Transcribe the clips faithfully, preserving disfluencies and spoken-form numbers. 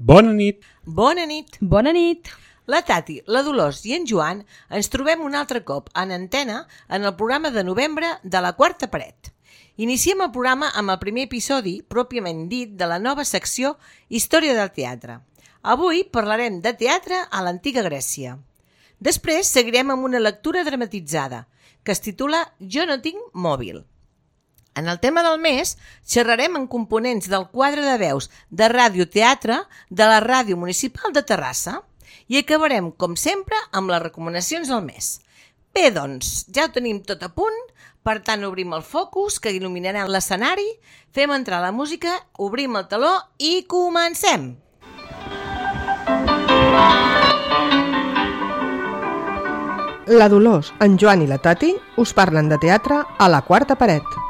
Bona nit. Bona nit. Bona nit. La Tati, la Dolors i en Joan ens trobem un altre cop en antena en el programa de novembre de La Quarta Paret. Iniciem el programa amb el primer episodi, pròpiament dit, de la nova secció Història del teatre. Avui parlarem de teatre a l'antiga Grècia. Després seguirem amb una lectura dramatitzada, que es titula Jo no tinc mòbil. En el tema del mes xerrarem en components del quadre de veus de radioteatre de la Ràdio Municipal de Terrassa i acabarem, com sempre, amb les recomanacions del mes. Bé, doncs, ja ho tenim tot a punt, per tant obrim el focus que il·luminarà l'escenari, fem entrar la música, obrim el teló i comencem! La Dolors, en Joan i la Tati us parlen de teatre a La Quarta Paret.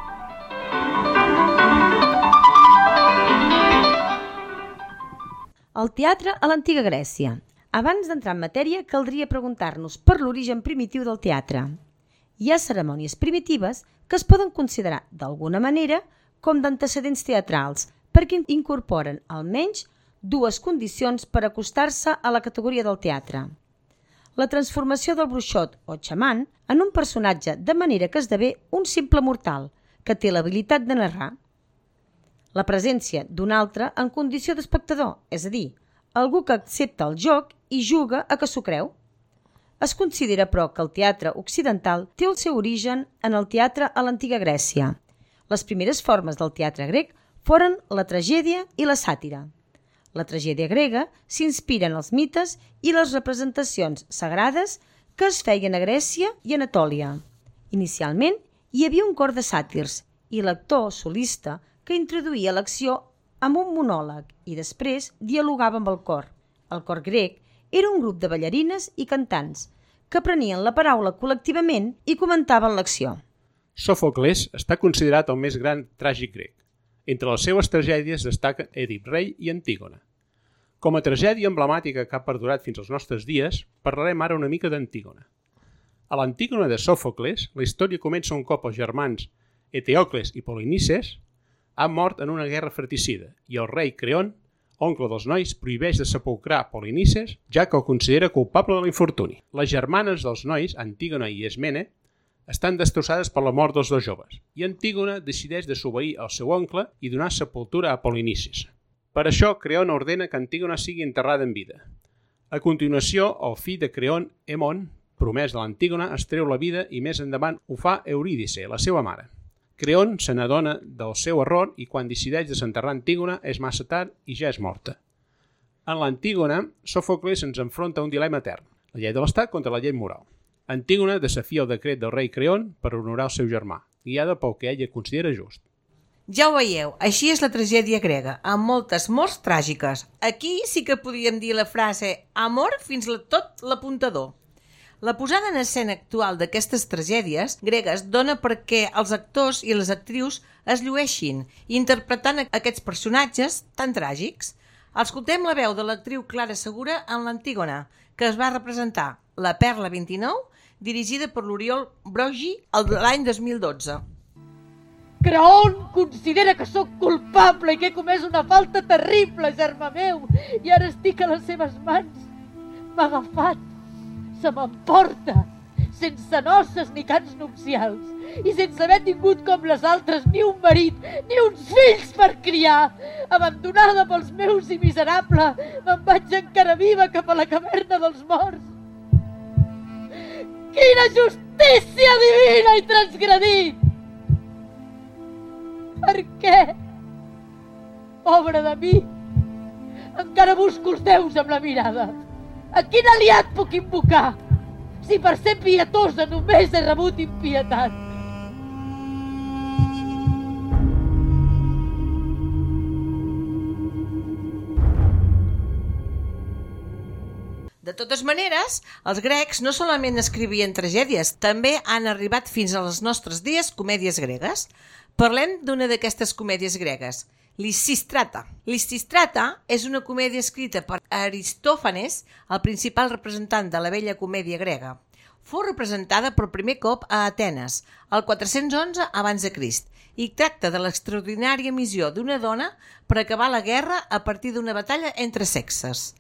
El teatre a l'antiga Grècia. Abans d'entrar en matèria, caldria preguntar-nos per l'origen primitiu del teatre. Hi ha cerimònies primitives que es poden considerar, d'alguna manera, com d'antecedents teatrals, perquè incorporen almenys dues condicions per acostar-se a la categoria del teatre. La transformació del bruixot o xaman en un personatge de manera que esdevé un simple mortal, que té l'habilitat de narrar. La presència d'un altre en condició d'espectador, és a dir, algú que accepta el joc i juga a que s'ho creu. Es considera, però, que el teatre occidental té el seu origen en el teatre a l'antiga Grècia. Les primeres formes del teatre grec foren la tragèdia i la sàtira. La tragèdia grega s'inspira en els mites i les representacions sagrades que es feien a Grècia i Anatòlia. Inicialment, hi havia un cor de sàtirs i l'actor solista que introduïa l'acció amb un monòleg i després dialogava amb el cor. El cor grec era un grup de ballarines i cantants que prenien la paraula col·lectivament i comentaven l'acció. Sòfocles està considerat el més gran tràgic grec. Entre les seues tragèdies destaquen Èdip rei i Antígona. Com a tragèdia emblemàtica que ha perdurat fins als nostres dies, parlarem ara una mica d'Antígona. A l'Antígona de Sòfocles, la història comença un cop els germans Eteocles i Polinices han mort en una guerra fratricida i el rei Creon, oncle dels nois, prohibeix de sepulcrar Polinices, ja que el considera culpable de l'infortuni. Les germanes dels nois, Antígona i Ismene, estan destrossades per la mort dels dos joves i Antígona decideix desobeir el seu oncle i donar sepultura a Polinices. Per això, Creon ordena que Antígona sigui enterrada en vida. A continuació, el fill de Creon, Hemon, promès de l'Antígona, es treu la vida i més endavant ho fa Eurídice, la seva mare. Creon se n'adona del seu error i quan decideix desenterrar Antígona és massa tard i ja és morta. En l'Antígona, Sòfocles ens enfronta un dilema etern, la llei de l'estat contra la llei moral. Antígona desafia el decret del rei Creon per honorar el seu germà, guiada pel que ella considera just. Ja ho veieu, així és la tragèdia grega, amb moltes morts tràgiques. Aquí sí que podríem dir la frase amor fins a tot l'apuntador. La posada en escena actual d'aquestes tragèdies gregues dona perquè els actors i les actrius es llueixin interpretant aquests personatges tan tràgics. Escoltem la veu de l'actriu Clara Segura en l'Antígona, que es va representar La Perla vint-i-nou, dirigida per l'Oriol Brogi l'any dos mil dotze. Creon considera que sóc culpable i que he comès una falta terrible, germà meu, i ara estic a les seves mans. M'ha agafat, se m'emporta, sense noces ni cants nupcials, i sense haver tingut com les altres ni un marit, ni uns fills per criar. Abandonada pels meus i miserable, me'n vaig encara viva cap a la caverna dels morts. Quina justícia divina he transgredit! Per què? Pobre de mi! Encara busco els déus amb la mirada. A quin aliat puc invocar, si per ser pietosa només he rebut impietat? De totes maneres, els grecs no solament escrivien tragèdies, també han arribat fins als nostres dies comèdies gregues. Parlem d'una d'aquestes comèdies gregues, Lisístrata. Lisístrata és una comèdia escrita per Aristòfanes, el principal representant de la vella comèdia grega. fou representada per primer cop a Atenes, el quatre-cents onze abans de Crist, i tracta de l'extraordinària missió d'una dona per acabar la guerra a partir d'una batalla entre sexes.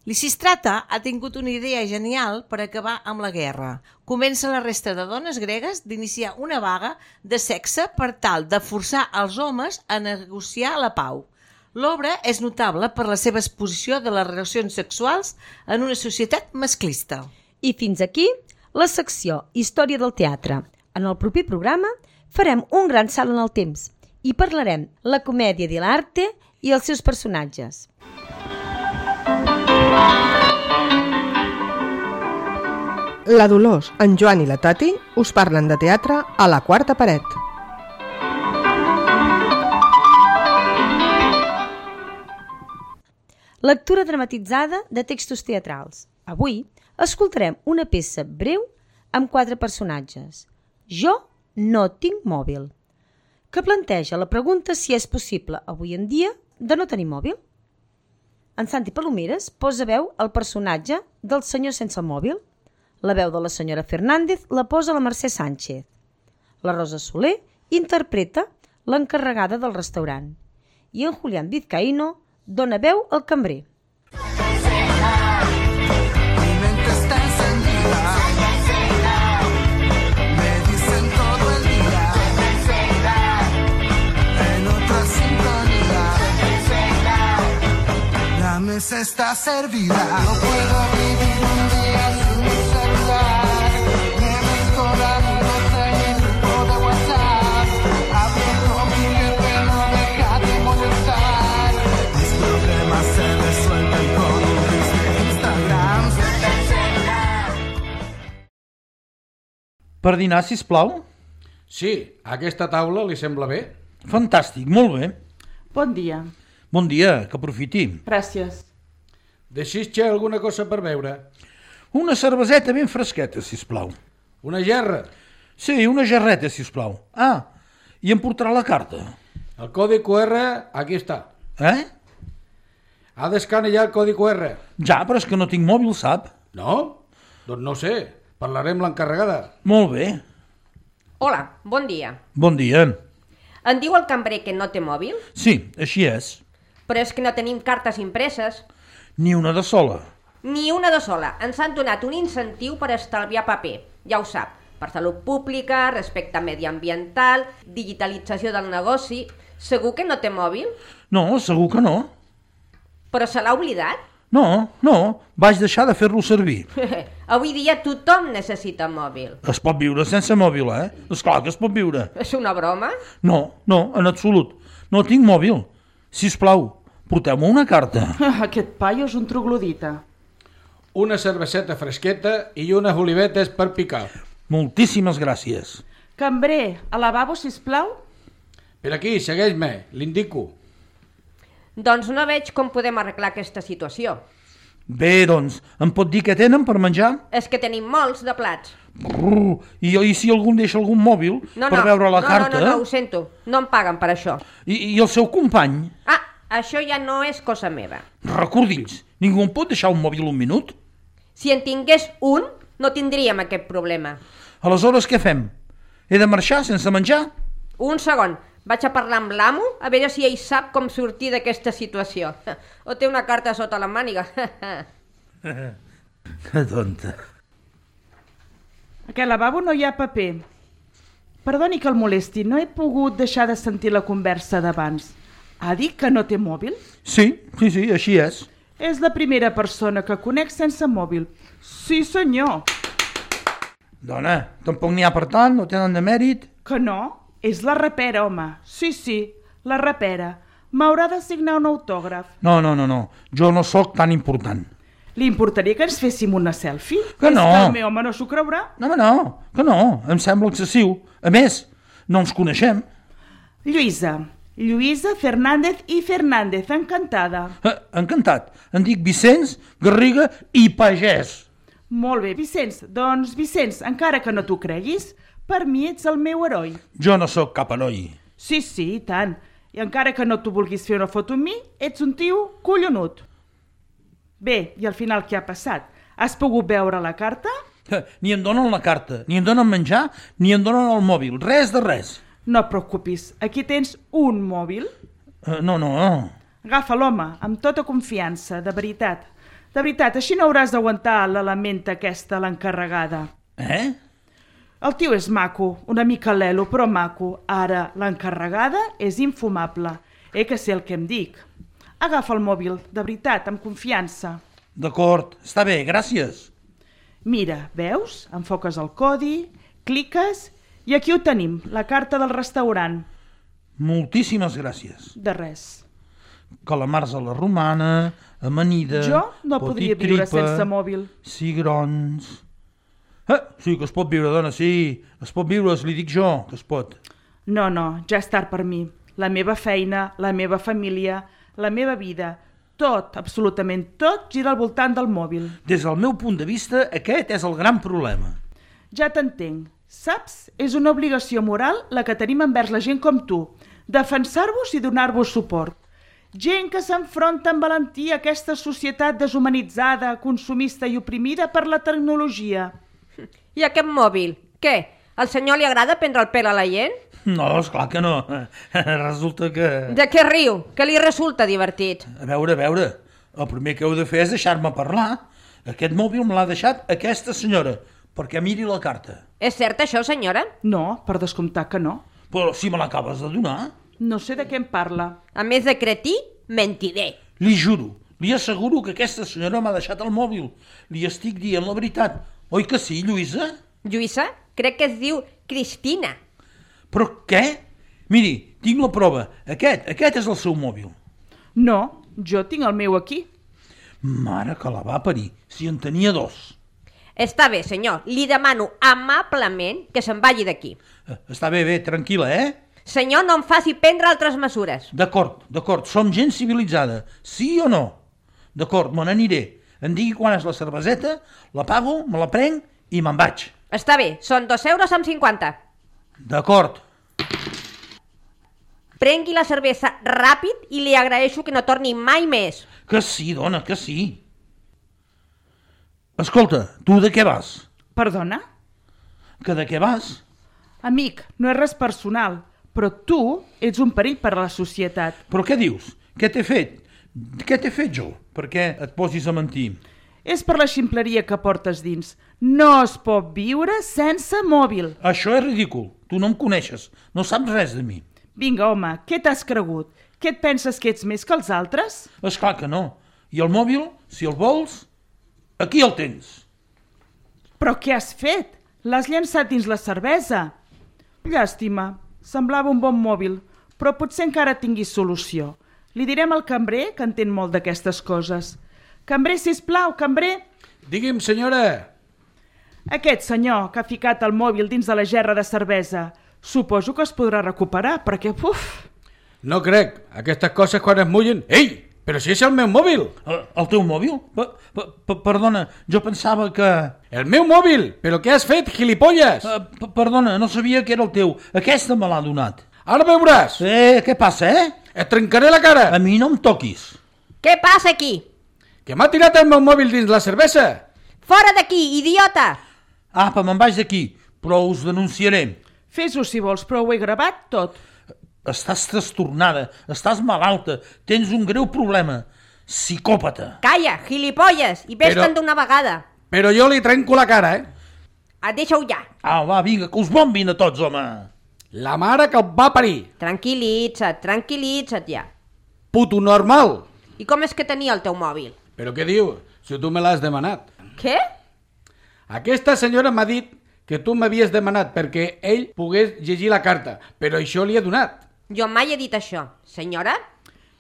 Lisistrata ha tingut una idea genial per acabar amb la guerra. Convença la resta de dones gregues d'iniciar una vaga de sexe per tal de forçar els homes a negociar la pau. L'obra és notable per la seva exposició de les relacions sexuals en una societat masclista. I fins aquí la secció Història del teatre. En el proper programa farem un gran salt en el temps i parlarem la comèdia de l'arte i els seus personatges. La Dolors, en Joan i la Tati us parlen de teatre a la quarta paret. Lectura dramatitzada de textos teatrals. Avui escoltarem una peça breu amb quatre personatges. Jo no tinc mòbil, que planteja la pregunta si és possible avui en dia de no tenir mòbil. En Santi Palomeres posa veu al personatge del senyor sense mòbil. La veu de la senyora Fernández la posa la Mercè Sánchez. La Rosa Soler interpreta l'encarregada del restaurant. I en Julián Vizcaíno dona veu al cambrer. Mesa está servida. No puedo vivir un día sin mi celular. Me meto la nota en el grupo de WhatsApp. Hablo con mi jefe, no deja de molestar. Mis problemas se resuelven con un list de Instagram. Per dinar, sisplau? Sí, aquesta taula li sembla bé? Fantàstic, molt bé. Bon dia. Bon dia, que aprofiti. Gràcies. Deixis-te alguna cosa per beure? Una cerveseta ben fresqueta, sisplau. Una gerra? Sí, una gerreta, sisplau. Ah, i em portarà la carta. El codi cu erre, aquí està. Eh? Ha d'escanejar el codi cu erre. Ja, però és que no tinc mòbil, sap? No? Doncs no sé, parlaré amb l'encarregada. Molt bé. Hola, bon dia. Bon dia. Em diu el cambrer que no té mòbil? Sí, així és. Però és que no tenim cartes impreses. Ni una de sola. Ni una de sola. Ens han donat un incentiu per estalviar paper. Ja ho sap. Per salut pública, respecte mediambiental, digitalització del negoci... Segur que no té mòbil? No, segur que no. Però se l'ha oblidat? No, no, vaig deixar de fer-lo servir. Avui dia tothom necessita mòbil. Es pot viure sense mòbil, eh? Esclar que es pot viure. És una broma? No, no, en absolut. No tinc mòbil. Sisplau, porteu-me una carta. Aquest paio és un troglodita. Una cerveseta fresqueta i unes olivetes per picar. Moltíssimes gràcies. Cambrer, al lavabo, sisplau? Per aquí, segueix-me, l'indico. Doncs no veig com podem arreglar aquesta situació. Bé, doncs, em pot dir què tenen per menjar? És que tenim molts de plats. Brrr, i, I si algun deixa algun mòbil no, per no, veure la no, carta? No, no, no, ho sento. No em paguen per això. I, I el seu company? Ah, això ja no és cosa meva. Recordi'ns, ningú em pot deixar un mòbil un minut? Si en tingués un, no tindríem aquest problema. Aleshores, què fem? He de marxar sense menjar? Un segon. Vaig a parlar amb l'amo a veure si ell sap com sortir d'aquesta situació. O té una carta sota la màniga. Que tonta. A aquest lavabo no hi ha paper. Perdoni que el molesti, no he pogut deixar de sentir la conversa d'abans. Ha dit que no té mòbil? Sí, sí, sí, així és. És la primera persona que conec sense mòbil. Sí, senyor. Dona, tampoc n'hi ha per tant, no tenen de mèrit. Que no? És la rapera, home. Sí, sí, la rapera. M'haurà de signar un autògraf. No, no, no, no. Jo no sóc tan important. Li importaria que ens féssim una selfie? Que no. És que el meu home no s'ho creurà? No, no, que no. Em sembla excessiu. A més, no ens coneixem. Lluïsa. Lluïsa Fernández i Fernández, encantada. Eh, encantat. Em dic Vicenç, Garriga i Pagès. Molt bé, Vicenç. Doncs, Vicenç, encara que no t'ho creguis, per mi ets el meu heroi. Jo no sóc cap heroi. Sí, sí, i tant. I encara que no t'ho vulguis fer una foto amb mi, ets un tio collonut. Bé, i al final què ha passat? Has pogut veure la carta? Ni em donen la carta, ni em donen menjar, ni em donen el mòbil, res de res. No et preocupis, aquí tens un mòbil. Uh, no, no, no. Agafa l'home, amb tota confiança, de veritat. De veritat, així no hauràs d'aguantar l'element aquesta, l'encarregada. Eh? El tio és maco, una mica lelo, però maco. Ara, l'encarregada és infumable. Eh que sé el que em dic. Agafa el mòbil, de veritat, amb confiança. D'acord, està bé, gràcies. Mira, veus? Enfoques el codi, cliques i aquí ho tenim, la carta del restaurant. Moltíssimes gràcies. De res. Calamars a la romana, amanida... Jo no podria viure sense mòbil. Cigrons... Eh, sí que es pot viure, dona, sí. Es pot viure, li dic jo, que es pot. No, no, ja és tard per mi. La meva feina, la meva família, la meva vida, tot, absolutament tot, gira al voltant del mòbil. Des del meu punt de vista, aquest és el gran problema. Ja t'entenc. Saps? És una obligació moral la que tenim envers la gent com tu. Defensar-vos i donar-vos suport. Gent que s'enfronta amb valentia a aquesta societat deshumanitzada, consumista i oprimida per la tecnologia. I aquest mòbil? Què? Al senyor li agrada prendre el pèl a la gent? No, esclar que no. Resulta que... De què riu? Que li resulta divertit? A veure, a veure, el primer que heu de fer és deixar-me parlar. Aquest mòbil me l'ha deixat aquesta senyora, perquè miri la carta. És cert això, senyora? No, per descomptar que no. Però si me l'acabes de donar... No sé de què em parla. A més de cretí, mentider. Li juro, li asseguro que aquesta senyora m'ha deixat el mòbil. Li estic dient la veritat. Oi que sí, Lluïsa? Lluïsa? Crec que es diu Cristina. Però què? Miri, tinc la prova. Aquest, aquest és el seu mòbil. No, jo tinc el meu aquí. Mare que la va parir, si en tenia dos. Està bé, senyor. Li demano amablement que se'n vagi d'aquí. Està bé, bé, tranquil·la, eh? Senyor, no em faci prendre altres mesures. D'acord, d'acord, som gent civilitzada. Sí o no? D'acord, me n'aniré. Em digui quan és la cerveseta, la pago, me la prenc i me'n vaig. Està bé, són dos euros amb cinquanta. D'acord. Prengui la cervesa ràpid i li agraeixo que no torni mai més. Que sí, dona, que sí. Escolta, tu de què vas? Perdona? Que de què vas? Amic, no és res personal, però tu ets un perill per a la societat. Però què dius? Què t'he fet? Què t'he fet jo? Per què et posis a mentir? És per la ximpleria que portes dins. No es pot viure sense mòbil. Això és ridícul. Tu no em coneixes. No saps res de mi. Vinga, home, què t'has cregut? Què et penses que ets més que els altres? Esclar que no. I el mòbil, si el vols, aquí el tens. Però què has fet? L'has llançat dins la cervesa. Llàstima. Semblava un bon mòbil, però potser encara tinguis solució. Li direm al cambrer, que entén molt d'aquestes coses. Cambrer, sisplau, cambrer. Digui'm, senyora. Aquest senyor que ha ficat el mòbil dins de la gerra de cervesa, suposo que es podrà recuperar, perquè, uf... No crec. Aquestes coses quan es mullen... Ei, però si és el meu mòbil. El, el teu mòbil? Pa, pa, pa, perdona, jo pensava que... El meu mòbil? Però què has fet, gilipolles? Uh, pa, perdona, no sabia que era el teu. Aquesta me l'ha donat. Ara veuràs. Eh, què passa, eh? Et trencaré la cara. A mi no em toquis. Què passa aquí? Que m'ha tirat el meu mòbil dins la cervesa. Fora d'aquí, idiota! Apa, me'n vaig d'aquí, però us denunciaré. Fes-ho si vols, però ho he gravat tot. Estàs trastornada, estàs malalta, tens un greu problema. Psicòpata. Calla, gilipolles, i ves-te'n Però- d'una vegada. Però jo li trenco la cara, eh? Ah, deixa-ho ja. Ah, va, vinga, que us bombin a tots, home. La mare que el va parir. Tranquil·litza't, tranquil·litza't ja. Puto normal. I com és que tenia el teu mòbil? Però què diu? Si tu me l'has demanat. Què? Aquesta senyora m'ha dit que tu m'havies demanat perquè ell pogués llegir la carta, però això li he donat. Jo mai he dit això. Senyora?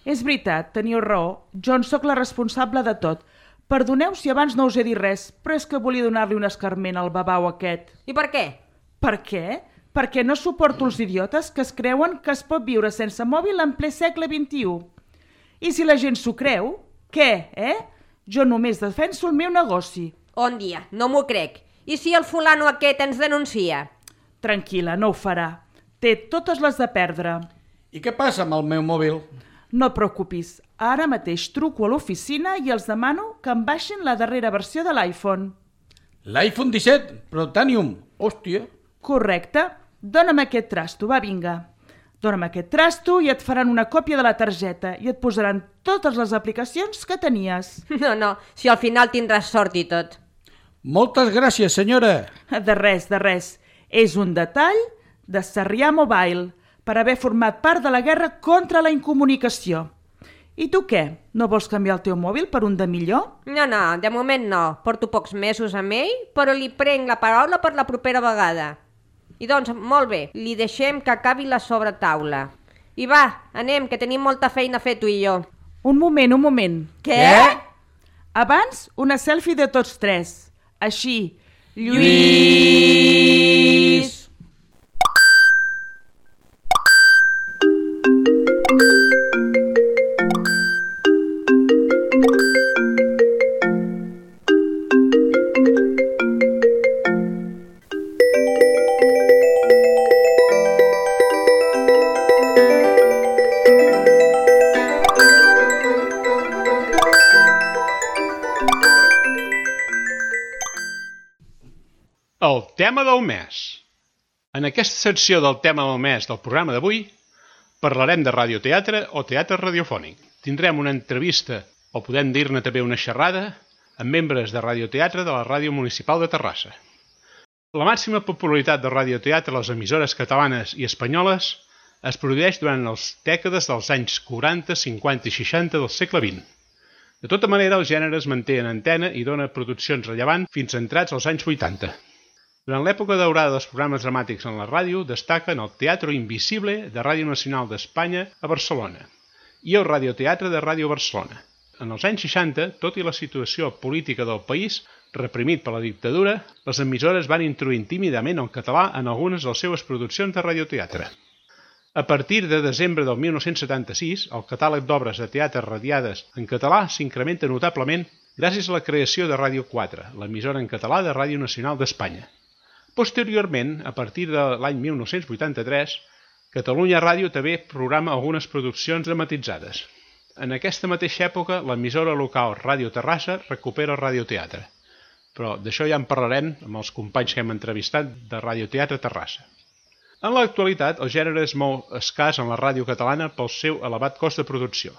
És veritat, teniu raó. Jo en sóc la responsable de tot. Perdoneu si abans no us he dit res, però és que volia donar-li un escarment al babau aquest. I per què? Per què? Perquè no suporto els idiotes que es creuen que es pot viure sense mòbil en ple segle vint-i-u. I si la gent s'ho creu, què, eh? Jo només defenso el meu negoci. On dia, no m'ho crec. I si el fulano aquest ens denuncia? Tranquil·la, no ho farà. Té totes les de perdre. I què passa amb el meu mòbil? No et preocupis. Ara mateix truco a l'oficina i els demano que em baixin la darrera versió de l'iPhone. L'iPhone disset, Protanium. Hòstia. Correcte. Dóna'm aquest trasto, va, vinga. Dóna'm aquest trasto i et faran una còpia de la targeta i et posaran totes les aplicacions que tenies. No, no, si al final tindràs sort i tot. Moltes gràcies, senyora. De res, de res. És un detall de Sarrià Mobile per haver format part de la guerra contra la incomunicació. I tu què? No vols canviar el teu mòbil per un de millor? No, no, de moment no. Porto pocs mesos amb ell, però li prenc la paraula per la propera vegada. I doncs, molt bé, li deixem que acabi la sobretaula. I va, anem, que tenim molta feina a fer tu i jo. Un moment, un moment. Què? Abans, una selfie de tots tres. Així. Lluís! El tema del mes. En aquesta secció del tema del mes del programa d'avui parlarem de radioteatre o teatre radiofònic. Tindrem una entrevista, o podem dir-ne també una xerrada, amb membres de radioteatre de la Ràdio Municipal de Terrassa. La màxima popularitat de radioteatre a les emissores catalanes i espanyoles es produeix durant les dècades dels anys quaranta, cinquanta i seixanta del segle vint. De tota manera, el gènere es manté en antena i dona produccions rellevants fins entrats als anys vuitanta. Durant l'època daurada dels programes dramàtics en la ràdio destaquen el Teatro Invisible de Ràdio Nacional d'Espanya a Barcelona i el Radioteatre de Ràdio Barcelona. En els anys seixanta, tot i la situació política del país, reprimit per la dictadura, les emissores van introduir tímidament el català en algunes de les seves produccions de radioteatre. A partir de desembre del mil nou-cents setanta-sis, el catàleg d'obres de teatre radiades en català s'incrementa notablement gràcies a la creació de Ràdio quatre, l'emissora en català de Ràdio Nacional d'Espanya. Posteriorment, a partir de l'any mil nou-cents vuitanta-tres, Catalunya Ràdio també programa algunes produccions dramatitzades. En aquesta mateixa època, l'emissora local Ràdio Terrassa recupera el radioteatre. Però d'això ja en parlarem amb els companys que hem entrevistat de Radioteatre Terrassa. En l'actualitat, el gènere és molt escàs en la ràdio catalana pel seu elevat cost de producció.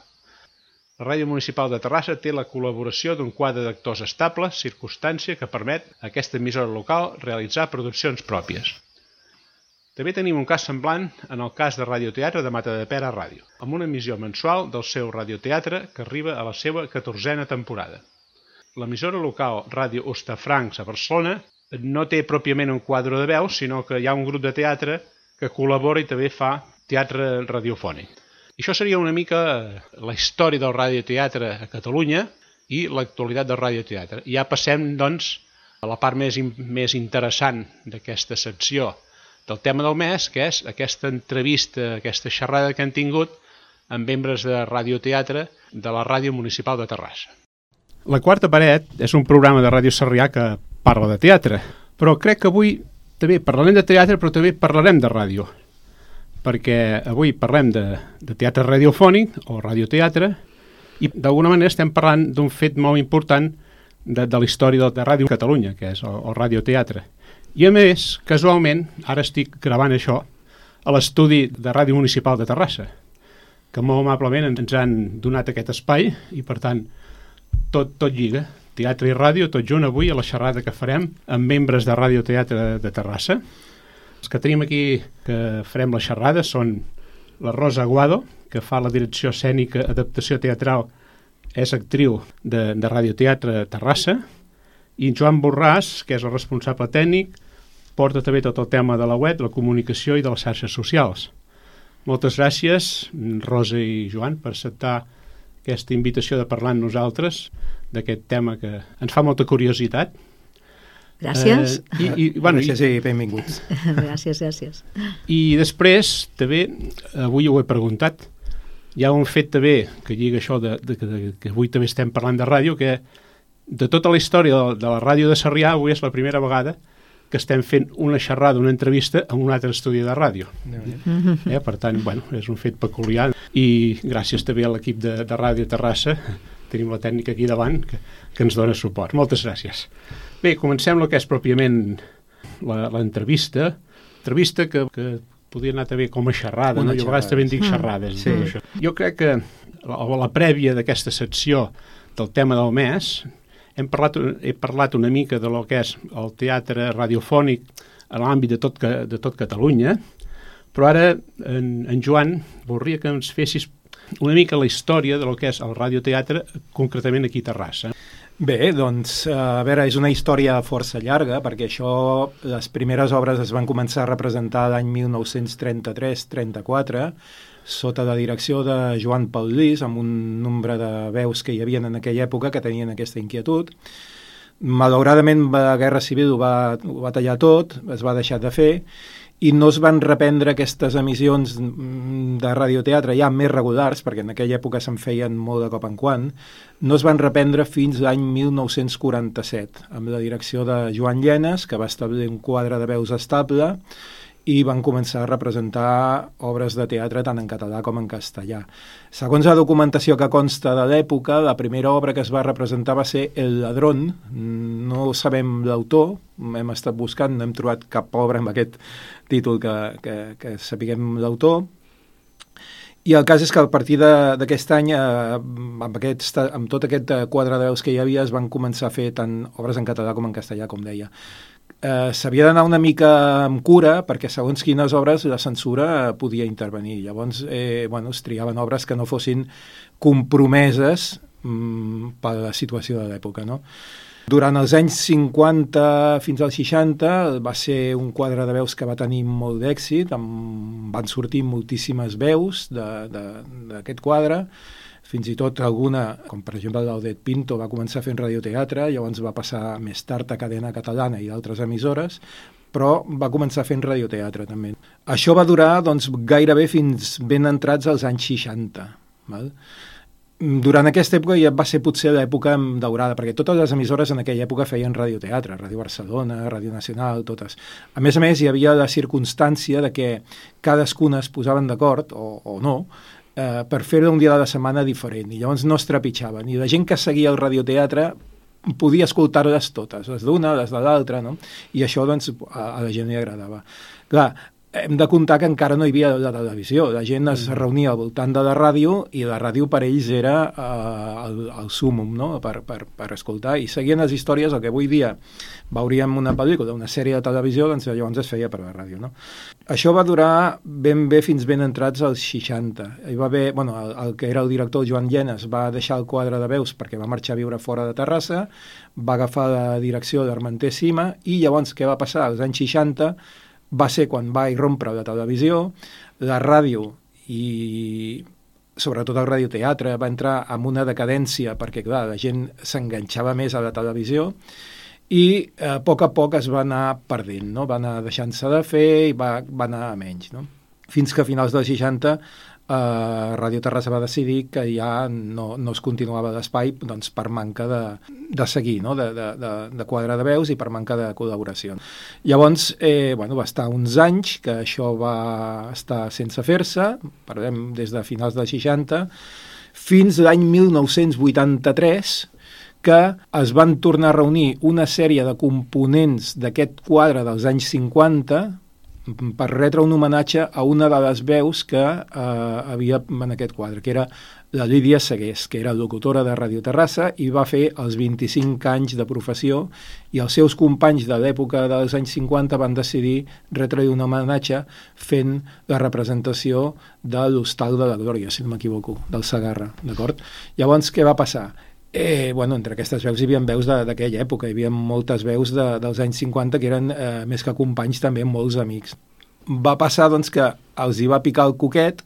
La Ràdio Municipal de Terrassa té la col·laboració d'un quadre d'actors estables, circumstància que permet a aquesta emissora local realitzar produccions pròpies. També tenim un cas semblant en el cas de Radioteatre de Matadepera Ràdio, amb una emissió mensual del seu radioteatre que arriba a la seva catorzena temporada. L'emissora local Ràdio Hostafrancs a Barcelona no té pròpiament un quadre de veu, sinó que hi ha un grup de teatre que col·labora i també fa teatre radiofònic. I això seria una mica la història del radioteatre a Catalunya i l'actualitat del radioteatre. I ja passem, doncs, a la part més, més interessant d'aquesta secció del tema del mes, que és aquesta entrevista, aquesta xerrada que han tingut amb membres de radioteatre de la Ràdio Municipal de Terrassa. La quarta paret és un programa de Ràdio Sarrià que parla de teatre, però crec que avui també parlarem de teatre, però també parlarem de ràdio, perquè avui parlem de, de teatre radiofònic o radioteatre i d'alguna manera estem parlant d'un fet molt important de, de la història de, de Ràdio Catalunya, que és el, el radioteatre. I a més, casualment, ara estic gravant això a l'estudi de Ràdio Municipal de Terrassa, que molt amablement ens han donat aquest espai i per tant tot, tot lliga, teatre i ràdio, tot junt avui a la xerrada que farem amb membres de Radioteatre de, de Terrassa. Els que tenim aquí que farem la xerrada són la Rosa Aguado, que fa la direcció escènica, adaptació teatral, és actriu de, de Radioteatre Terrassa, i en Joan Borràs, que és el responsable tècnic, porta també tot el tema de la web, la comunicació i de les xarxes socials. Moltes gràcies, Rosa i Joan, per acceptar aquesta invitació de parlar amb nosaltres d'aquest tema que ens fa molta curiositat. Gràcies. Eh, i, i, bueno, gràcies i benvinguts. Gràcies, gràcies. I després, també, avui ho he preguntat, hi ha un fet també que lliga això de, de, de, que avui també estem parlant de ràdio, que de tota la història de, de la ràdio de Sarrià, avui és la primera vegada que estem fent una xerrada, una entrevista en un altre estudi de ràdio. Mm-hmm. Eh, per tant, bueno, és un fet peculiar. I gràcies també a l'equip de, de Ràdio Terrassa tenim la tècnica aquí davant que, que ens dona suport. Moltes gràcies. Bé, comencem el que és pròpiament l'entrevista, entrevista que, que podria anar també com a xerrada, no? Jo a vegades també en dic xerrades. Sí. Això. Jo crec que a la prèvia d'aquesta secció del tema del mes hem parlat, he parlat una mica de lo que és el teatre radiofònic a l'àmbit de tot, de tot Catalunya, però ara en, en Joan voldria que ens fessis una mica la història de lo que és el radioteatre, concretament aquí a Terrassa. Bé, doncs, a veure, és una història força llarga, perquè això, les primeres obres es van començar a representar l'any mil nou-cents trenta-tres trenta-quatre, sota la direcció de Joan Paulís, amb un nombre de veus que hi havia en aquella època que tenien aquesta inquietud. Malauradament la Guerra Civil ho va, ho va tallar tot, es va deixar de fer, i no es van reprendre aquestes emissions de radioteatre ja més regulars, perquè en aquella època se'n feien molt de cop en quant, no es van reprendre fins l'any mil nou-cents quaranta-set, amb la direcció de Joan Llenes, que va establir un quadre de veus estable, i van començar a representar obres de teatre tant en català com en castellà. Segons la documentació que consta de l'època, la primera obra que es va representar va ser El ladrón. No sabem l'autor, hem estat buscant, no hem trobat cap obra amb aquest títol que, que, que sapiguem l'autor. I el cas és que a partir d'aquest any, eh, amb, aquest, amb tot aquest quadre de veus que hi havia, es van començar a fer tant obres en català com en castellà, com deia. Eh, s'havia d'anar una mica amb cura perquè segons quines obres la censura podia intervenir. Llavors eh, bueno, es triaven obres que no fossin compromeses mm, per la situació de l'època, no? Durant els anys cinquanta fins als seixanta va ser un quadre de veus que va tenir molt d'èxit, van sortir moltíssimes veus d'aquest quadre, fins i tot alguna, com per exemple l'Audet Pinto, va començar fent radioteatre, llavors va passar més tard a Cadena Catalana i d'altres emissores, però va començar fent radioteatre també. Això va durar doncs, gairebé fins ben entrats als anys seixanta. Val? Durant aquesta època ja va ser potser l'època daurada, perquè totes les emissores en aquella època feien radioteatre, Ràdio Barcelona, Ràdio Nacional, totes. A més a més, hi havia la circumstància de que cadascuna es posaven d'acord, o, o no, eh, per fer-ho un dia de la setmana diferent, i llavors no es trepitjaven. I la gent que seguia el radioteatre podia escoltar-les totes, les d'una, les de l'altra, no? I això doncs, a, a la gent li agradava. Clar, hem de comptar que encara no hi havia la televisió, la gent es reunia al voltant de la ràdio i la ràdio per ells era eh, el, el súmum, no? per, per, per escoltar, i seguien les històries, el que avui dia veuríem una pel·lícula, una sèrie de televisió, doncs llavors es feia per la ràdio, no? Això va durar ben bé fins ben entrats als seixanta. Hi va haver, bueno, el, el que era el director Joan Llenes va deixar el quadre de veus perquè va marxar a viure fora de Terrassa, va agafar la direcció d'Armenter Cima, i llavors què va passar? Als anys seixanta va ser quan va irrompre la televisió, la ràdio i sobretot el radioteatre va entrar en una decadència perquè, clar, la gent s'enganxava més a la televisió i a poc a poc es va anar perdent, no? Va anar deixant-se de fer i va, va anar a menys, no? Fins que a finals dels seixanta Uh, Ràdio Terrassa va decidir que ja no, no es continuava l'espai doncs, per manca de, de seguir, no? de, de, de, de quadre de veus i per manca de col·laboració. Llavors, eh, bueno, va estar uns anys que això va estar sense fer-se, parlem des de finals dels seixanta, fins l'any mil nou-cents vuitanta-tres, que es van tornar a reunir una sèrie de components d'aquest quadre dels anys cinquanta per retre un homenatge a una de les veus que eh, havia en aquest quadre, que era la Lídia Segués, que era locutora de Ràdio Terrassa i va fer els vint-i-cinc anys de professió, i els seus companys de l'època dels anys cinquanta van decidir retre un homenatge fent la representació de l'Hostal de la Glòria, si no m'equivoco, del Segarra, d'acord? Llavors, què va passar? Eh, bueno, entre aquestes veus hi havia veus d'aquella època, hi havia moltes veus de, dels anys cinquanta que eren eh, més que companys també molts amics. Va passar doncs que els hi va picar el coquet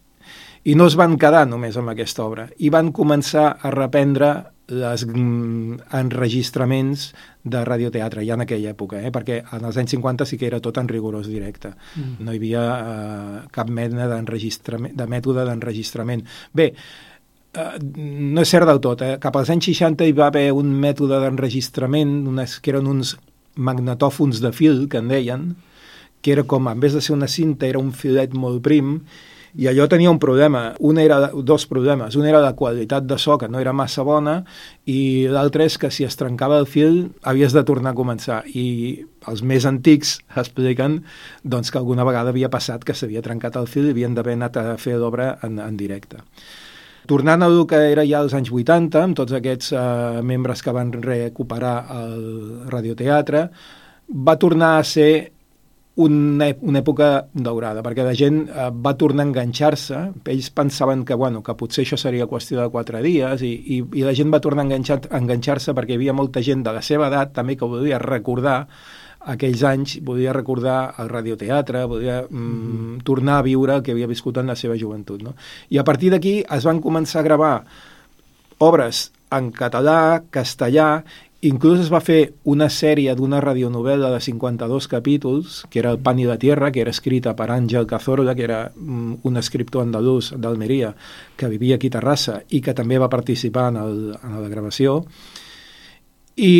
i no es van quedar només amb aquesta obra i van començar a reprendre els mm, enregistraments de radioteatre ja en aquella època, eh? Perquè en els anys cinquanta sí que era tot en rigorós directe, mm. no hi havia eh, cap mena d'enregistrament, de mètode d'enregistrament. Bé, Uh, no és cert del tot, eh? Cap als anys seixanta hi va haver un mètode d'enregistrament, unes, que eren uns magnetòfons de fil, que en deien, que era com, en vez de ser una cinta, era un filet molt prim, I allò tenia un problema, un era, dos problemes. Un era la qualitat de so, que no era massa bona, i l'altre és que si es trencava el fil havies de tornar a començar. I els més antics expliquen doncs, que alguna vegada havia passat que s'havia trencat el fil i havien d'haver anat a fer l'obra en, en directe. Tornant a el que era ja als anys vuitanta, amb tots aquests eh, membres que van recuperar el radioteatre, va tornar a ser una, una època daurada, perquè la gent eh, va tornar a enganxar-se. Ells pensaven que, bueno, que potser això seria qüestió de quatre dies i, i, i la gent va tornar a enganxar, a enganxar-se perquè hi havia molta gent de la seva edat també que volia recordar aquells anys, volia recordar el radioteatre, volia mm, mm. tornar a viure el que havia viscut en la seva joventut, no? I a partir d'aquí es van començar a gravar obres en català, castellà. Inclús es va fer una sèrie d'una radionovel·la de cinquanta-dos capítols, que era El pan i la tierra, que era escrita per Àngel Cazorla, que era un escriptor andalús d'Almeria, que vivia aquí a Terrassa i que també va participar en, el, en la gravació. I,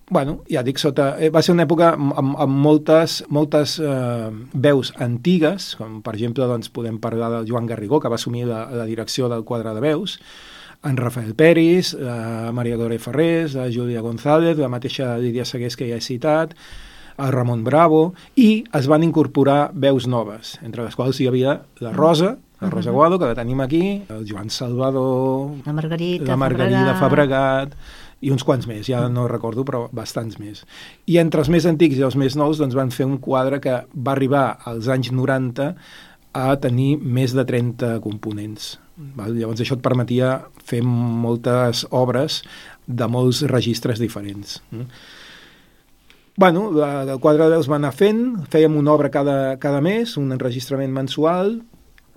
bueno, ja dic, sota, va ser una època amb, amb moltes, moltes eh, veus antigues, com per exemple doncs, podem parlar del Joan Garrigó, que va assumir la, la direcció del quadre de veus, en Rafael Peris, la Maria Gloria Ferrés, la Júlia González, la mateixa Lídia Segués que ja he citat, el Ramon Bravo, i es van incorporar veus noves, entre les quals hi havia la Rosa, la Rosa uh-huh. Guado, que la tenim aquí, el Joan Salvador, la Margarita, la Margarida Fabregat, i uns quants més, ja no recordo, però bastants més. I entre els més antics i els més nous doncs, van fer un quadre que va arribar als anys noranta a tenir més de trenta components. Val? Llavors això et permetia fer moltes obres de molts registres diferents. Mm. Bueno, la, el quadre de veus va anar fent, fèiem una obra cada, cada mes, un enregistrament mensual,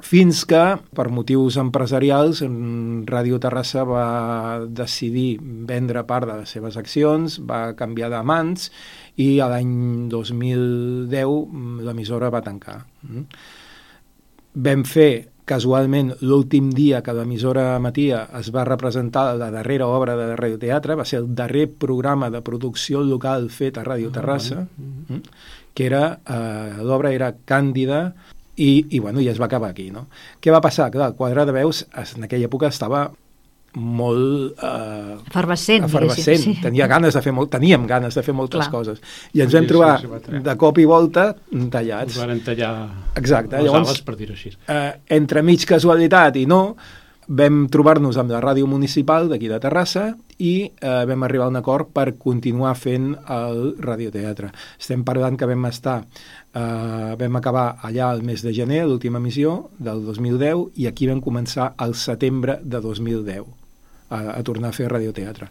fins que, per motius empresarials, Ràdio Terrassa va decidir vendre part de les seves accions, va canviar de mans i a l'any dos mil deu l'emissora va tancar. Mm. Vam fer casualment l'últim dia que l'emissora emetia es va representar la darrera obra de radioteatre, va ser el darrer programa de producció local fet a Ràdio Terrassa, mm-hmm. que era, eh, l'obra era Càndida, i, i, bueno, i es va acabar aquí, no? Què va passar? Clar, el quadre de veus en aquella època estava molt eh, efervescent, efervescent. Sí. Tenia ganes de fer molt, teníem ganes de fer moltes Clar. coses i ens vam trobar sí, sí, de cop i volta tallats. Ens van tallar Exacte. les Llavors, ales, per dir-ho així. Eh, entre mig casualitat i no, vam trobar-nos amb la ràdio municipal d'aquí de Terrassa i eh, vam arribar a un acord per continuar fent el radioteatre. Estem parlant que vam estar eh, vam acabar allà el mes de gener, l'última emissió del dos mil deu, i aquí vam començar al setembre de dos mil deu a, a tornar a fer radioteatre.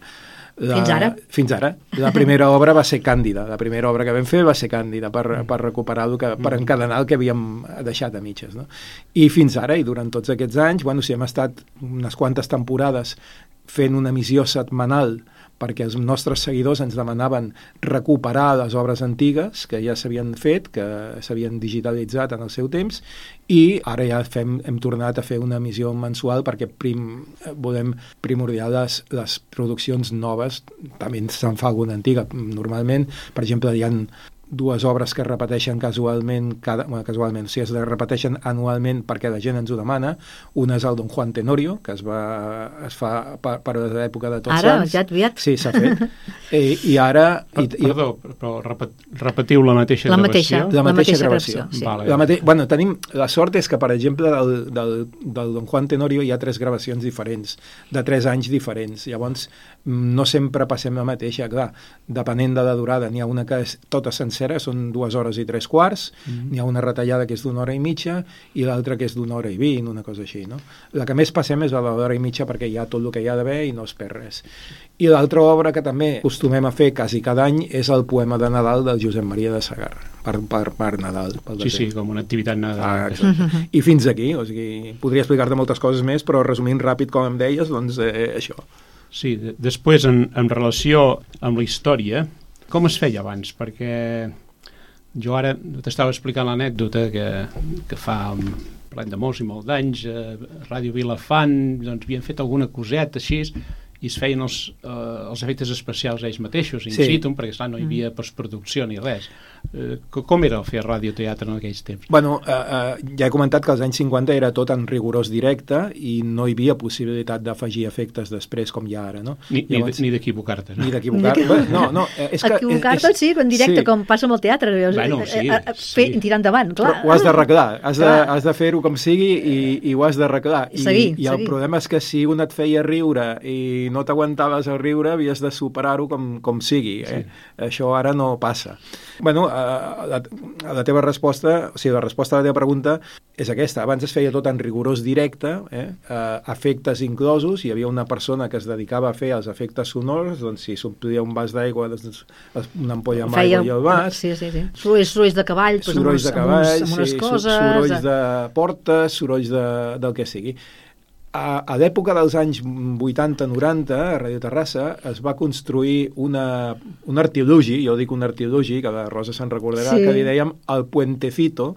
La, fins ara? Fins ara. La primera obra va ser Càndida. La primera obra que vam fer va ser Càndida per, per recuperar el que, per encadenar el que havíem deixat a mitges. No? I fins ara, i durant tots aquests anys, bueno, sí, hem estat unes quantes temporades fent una emissió setmanal perquè els nostres seguidors ens demanaven recuperar les obres antigues que ja s'havien fet, que s'havien digitalitzat en el seu temps, i ara ja fem, hem tornat a fer una emissió mensual perquè prim, volem primordiar les, les produccions noves. També se'n fa alguna antiga. Normalment, per exemple, hi ha dues obres que es repeteixen casualment, cada, bueno, casualment, o sigui, es repeteixen anualment perquè la gent ens ho demana. Una és el Don Juan Tenorio, que es, va, es fa per, per l'època de Tots ara, Sants. Ara, ja aviat. Sí, s'ha fet. I, i ara... Per, i, perdó, però repet, repetiu la mateixa la gravació? Mateixa, la mateixa, la mateixa gravació. gravació sí. Vale. La mate... bueno, tenim... La sort és que, per exemple, del, del, del Don Juan Tenorio hi ha tres gravacions diferents, de tres anys diferents. Llavors, no sempre passem la mateixa, clar. Depenent de la durada, n'hi ha una que és tota sencera, són dues hores i tres quarts, mm-hmm. n'hi ha una retallada que és d'una hora i mitja i l'altra que és d'una hora i vint, una cosa així, no? La que més passem és la de l'hora i mitja perquè hi ha tot el que hi ha d'haver i no es perd res. I l'altra obra que també acostumem a fer quasi cada any és el poema de Nadal del Josep Maria de Sagarra, per, per, per Nadal. Pel sí, sí, com una activitat Nadal. Ah, I fins aquí, o sigui, podria explicar-te moltes coses més, però resumint ràpid com em deies, doncs eh, això. Sí, de, després en, en relació amb la història, com es feia abans? Perquè jo ara t'estava explicant l'anècdota que, que fa parlant de molts i molts d'anys a Ràdio Vilafant doncs havien fet alguna coseta així i es feien els, eh, els efectes especials ells mateixos in sí. situ, perquè esclar, no hi havia postproducció ni res. Eh, com era fer radioteatre en aquells temps? Bueno, eh, eh, ja he comentat que als anys cinquanta era tot en rigorós directe i no hi havia possibilitat d'afegir efectes després com hi ha ara, no? Ni, Llavors, ni d'equivocar-te, no? Ni d'equivocar-te. No, no, és que... Equivocar-te, sí, en directe, sí. Com passa amb el teatre. Bueno, sí, Fer, sí. Tirar endavant, clar. Però ho has d'arreglar, has de, has de fer-ho com sigui i, i ho has d'arreglar. I, seguir, I el seguir. problema és que si un et feia riure i no t'aguantaves a riure, havies de superar-ho com, com sigui. Eh? Sí. Això ara no passa. Bueno, eh, la, la teva resposta, o sigui, la resposta a la teva pregunta és aquesta. Abans es feia tot en rigorós directe, eh? Uh, efectes inclosos, hi havia una persona que es dedicava a fer els efectes sonors, doncs si s'omplia un vas d'aigua, doncs, una ampolla amb feia... aigua i el vas... Sí, sí, sí. Sorolls, sorolls de cavall, pues, sorolls amb, de cavall, amb, uns, amb unes sí, coses... sorolls de portes, sorolls de, del que sigui. A, a l'època dels anys vuitanta noranta, a Radio Terrassa, es va construir una, un artilugi, jo dic un artilugi, que la Rosa se'n recordarà, sí. Que li dèiem el Puentecito,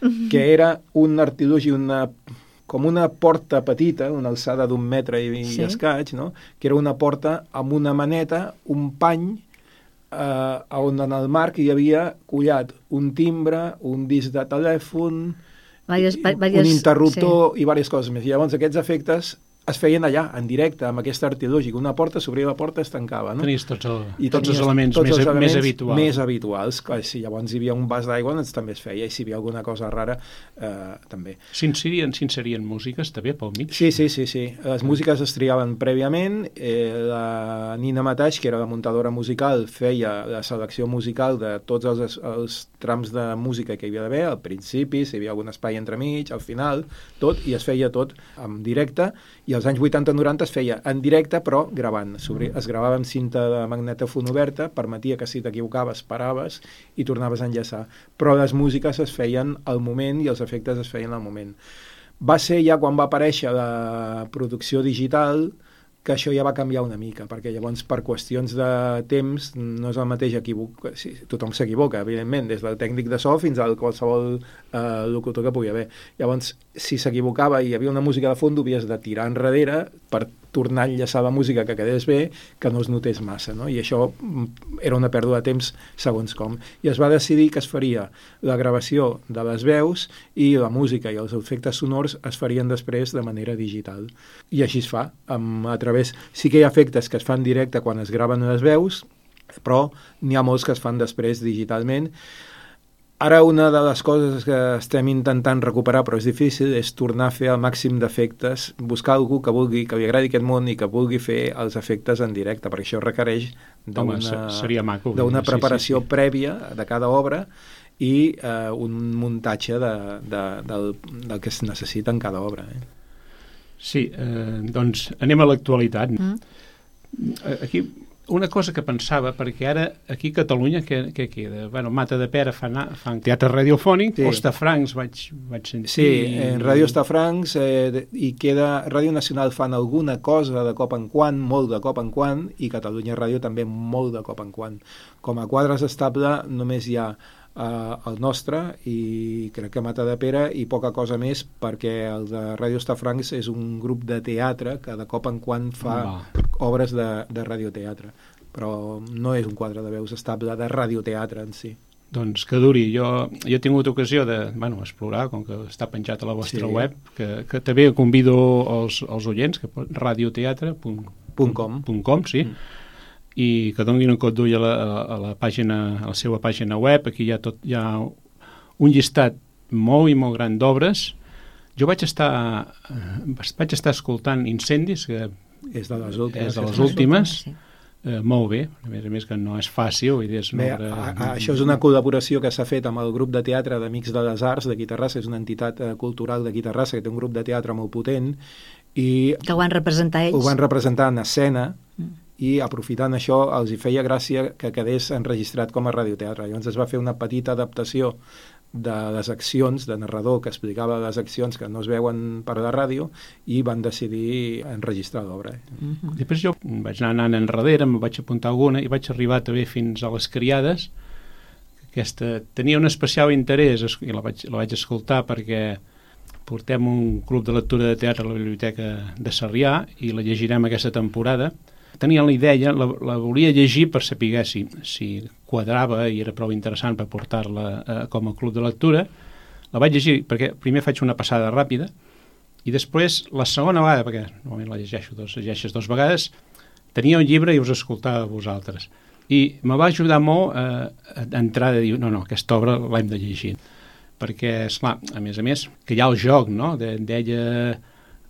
que era un artilugi, una, com una porta petita, una alçada d'un metre i, sí. i escaig, no? Que era una porta amb una maneta, un pany, eh, on en el marc hi havia collat un timbre, un disc de telèfon, Varias, varias, un interruptor sí. i diverses coses més. I llavors aquests efectes es feien allà, en directe, amb aquest artilugi. Una porta s'obria, la porta es tancava. No? Tenies tots, el, I tots tenies, els elements, tots més, els elements més habituals. Més habituals. Clar, si llavors hi havia un vas d'aigua, doncs també es feia. I si hi havia alguna cosa rara, eh, també. S'inserien, s'inserien músiques també pel mig? Sí, sí, sí. sí. Les músiques es triaven prèviament. Eh, la Nina Mataix, que era la muntadora musical, feia la selecció musical de tots els, els trams de música que hi havia d'haver, al principi, si hi havia algun espai entremig, al final, tot, i es feia tot en directe, i als anys vuitanta noranta es feia en directe, però gravant. Es gravava amb cinta de magnetòfon oberta, permetia que si t'equivocaves paraves i tornaves a enllaçar. Però les músiques es feien al moment i els efectes es feien al moment. Va ser ja quan va aparèixer la producció digital que això ja va canviar una mica, perquè llavors per qüestions de temps no és el mateix equivocar, sí, tothom s'equivoca, evidentment, des del tècnic de so fins al qualsevol eh, locutor que pugui haver. Llavors, si s'equivocava i hi havia una música de fons, havies de tirar enrere per tornar a enllaçar la música que quedés bé, que no es notés massa, no? I això era una pèrdua de temps segons com. I es va decidir que es faria la gravació de les veus i la música i els efectes sonors es farien després de manera digital. I així es fa, amb, a través... Sí que hi ha efectes que es fan directe quan es graven les veus, però n'hi ha molts que es fan després digitalment. Ara una de les coses que estem intentant recuperar, però és difícil, és tornar a fer el màxim d'efectes, buscar algú que vulgui, que li agradi aquest món i que vulgui fer els efectes en directe, perquè això requereix d'una preparació sí, sí, sí. prèvia de cada obra i eh, un muntatge de, de, del, del que es necessita en cada obra. Eh? Sí, eh, doncs anem a l'actualitat. Mm. Aquí... Una cosa que pensava, perquè ara aquí a Catalunya què, què queda? Bueno, Mata de Pera fan, fan teatre radiofònic, sí. Hostafrancs vaig, vaig sentir... Sí, en Ràdio Hostafrancs eh, i queda... Ràdio Nacional fan alguna cosa de cop en quan, molt de cop en quan, i Catalunya Ràdio també molt de cop en quan. Com a quadres estable només hi ha Uh, el nostre i crec que Mata de Pera i poca cosa més, perquè el de Ràdio Hostafrancs és un grup de teatre que de cop en quan fa Va. obres de, de radioteatre, però no és un quadre de veus estable de radioteatre en si. Doncs que duri. Jo, jo he tingut ocasió de bueno, explorar, com que està penjat a la vostra sí. web, que, que també convido els, els oients, que radioteatre punt com, sí, mm. i que donin un cop d'ull a, la, a la pàgina, a la seva pàgina web. Aquí hi ha, tot, hi ha un llistat molt i molt gran d'obres. Jo vaig estar vaig estar escoltant Incendis, que és de les últimes, és de les últimes sí. eh, molt bé, a més a més que no és fàcil. Vull dir, és bé, obra... a, a, això és una col·laboració que s'ha fet amb el grup de teatre d'Amics de les Arts d'aquí Terrassa, és una entitat eh, cultural d'aquí Terrassa que té un grup de teatre molt potent i que ho van representar ells. Ho van representar en escena mm. i aprofitant això els hi feia gràcia que quedés enregistrat com a radioteatre. Llavors es va fer una petita adaptació de les accions, de narrador que explicava les accions que no es veuen per la ràdio i van decidir enregistrar l'obra. Mm-hmm. Després jo vaig anar anant enrere, em vaig apuntar alguna i vaig arribar també fins a Les Criades. Aquesta tenia un especial interès i la vaig, la vaig escoltar perquè portem un club de lectura de teatre a la Biblioteca de Sarrià i la llegirem aquesta temporada. tenia la idea, la, la volia llegir per saber si, si quadrava i era prou interessant per portar-la eh, com a club de lectura. La vaig llegir perquè primer faig una passada ràpida i després la segona vegada, perquè normalment la llegeixo dos, llegeixes dos vegades, tenia un llibre i us escoltava a vosaltres. I me va ajudar molt eh, a entrar a dir, no, no, aquesta obra l'hem de llegir. Perquè, esclar, a més a més, que hi ha el joc, no?, de, d'ella,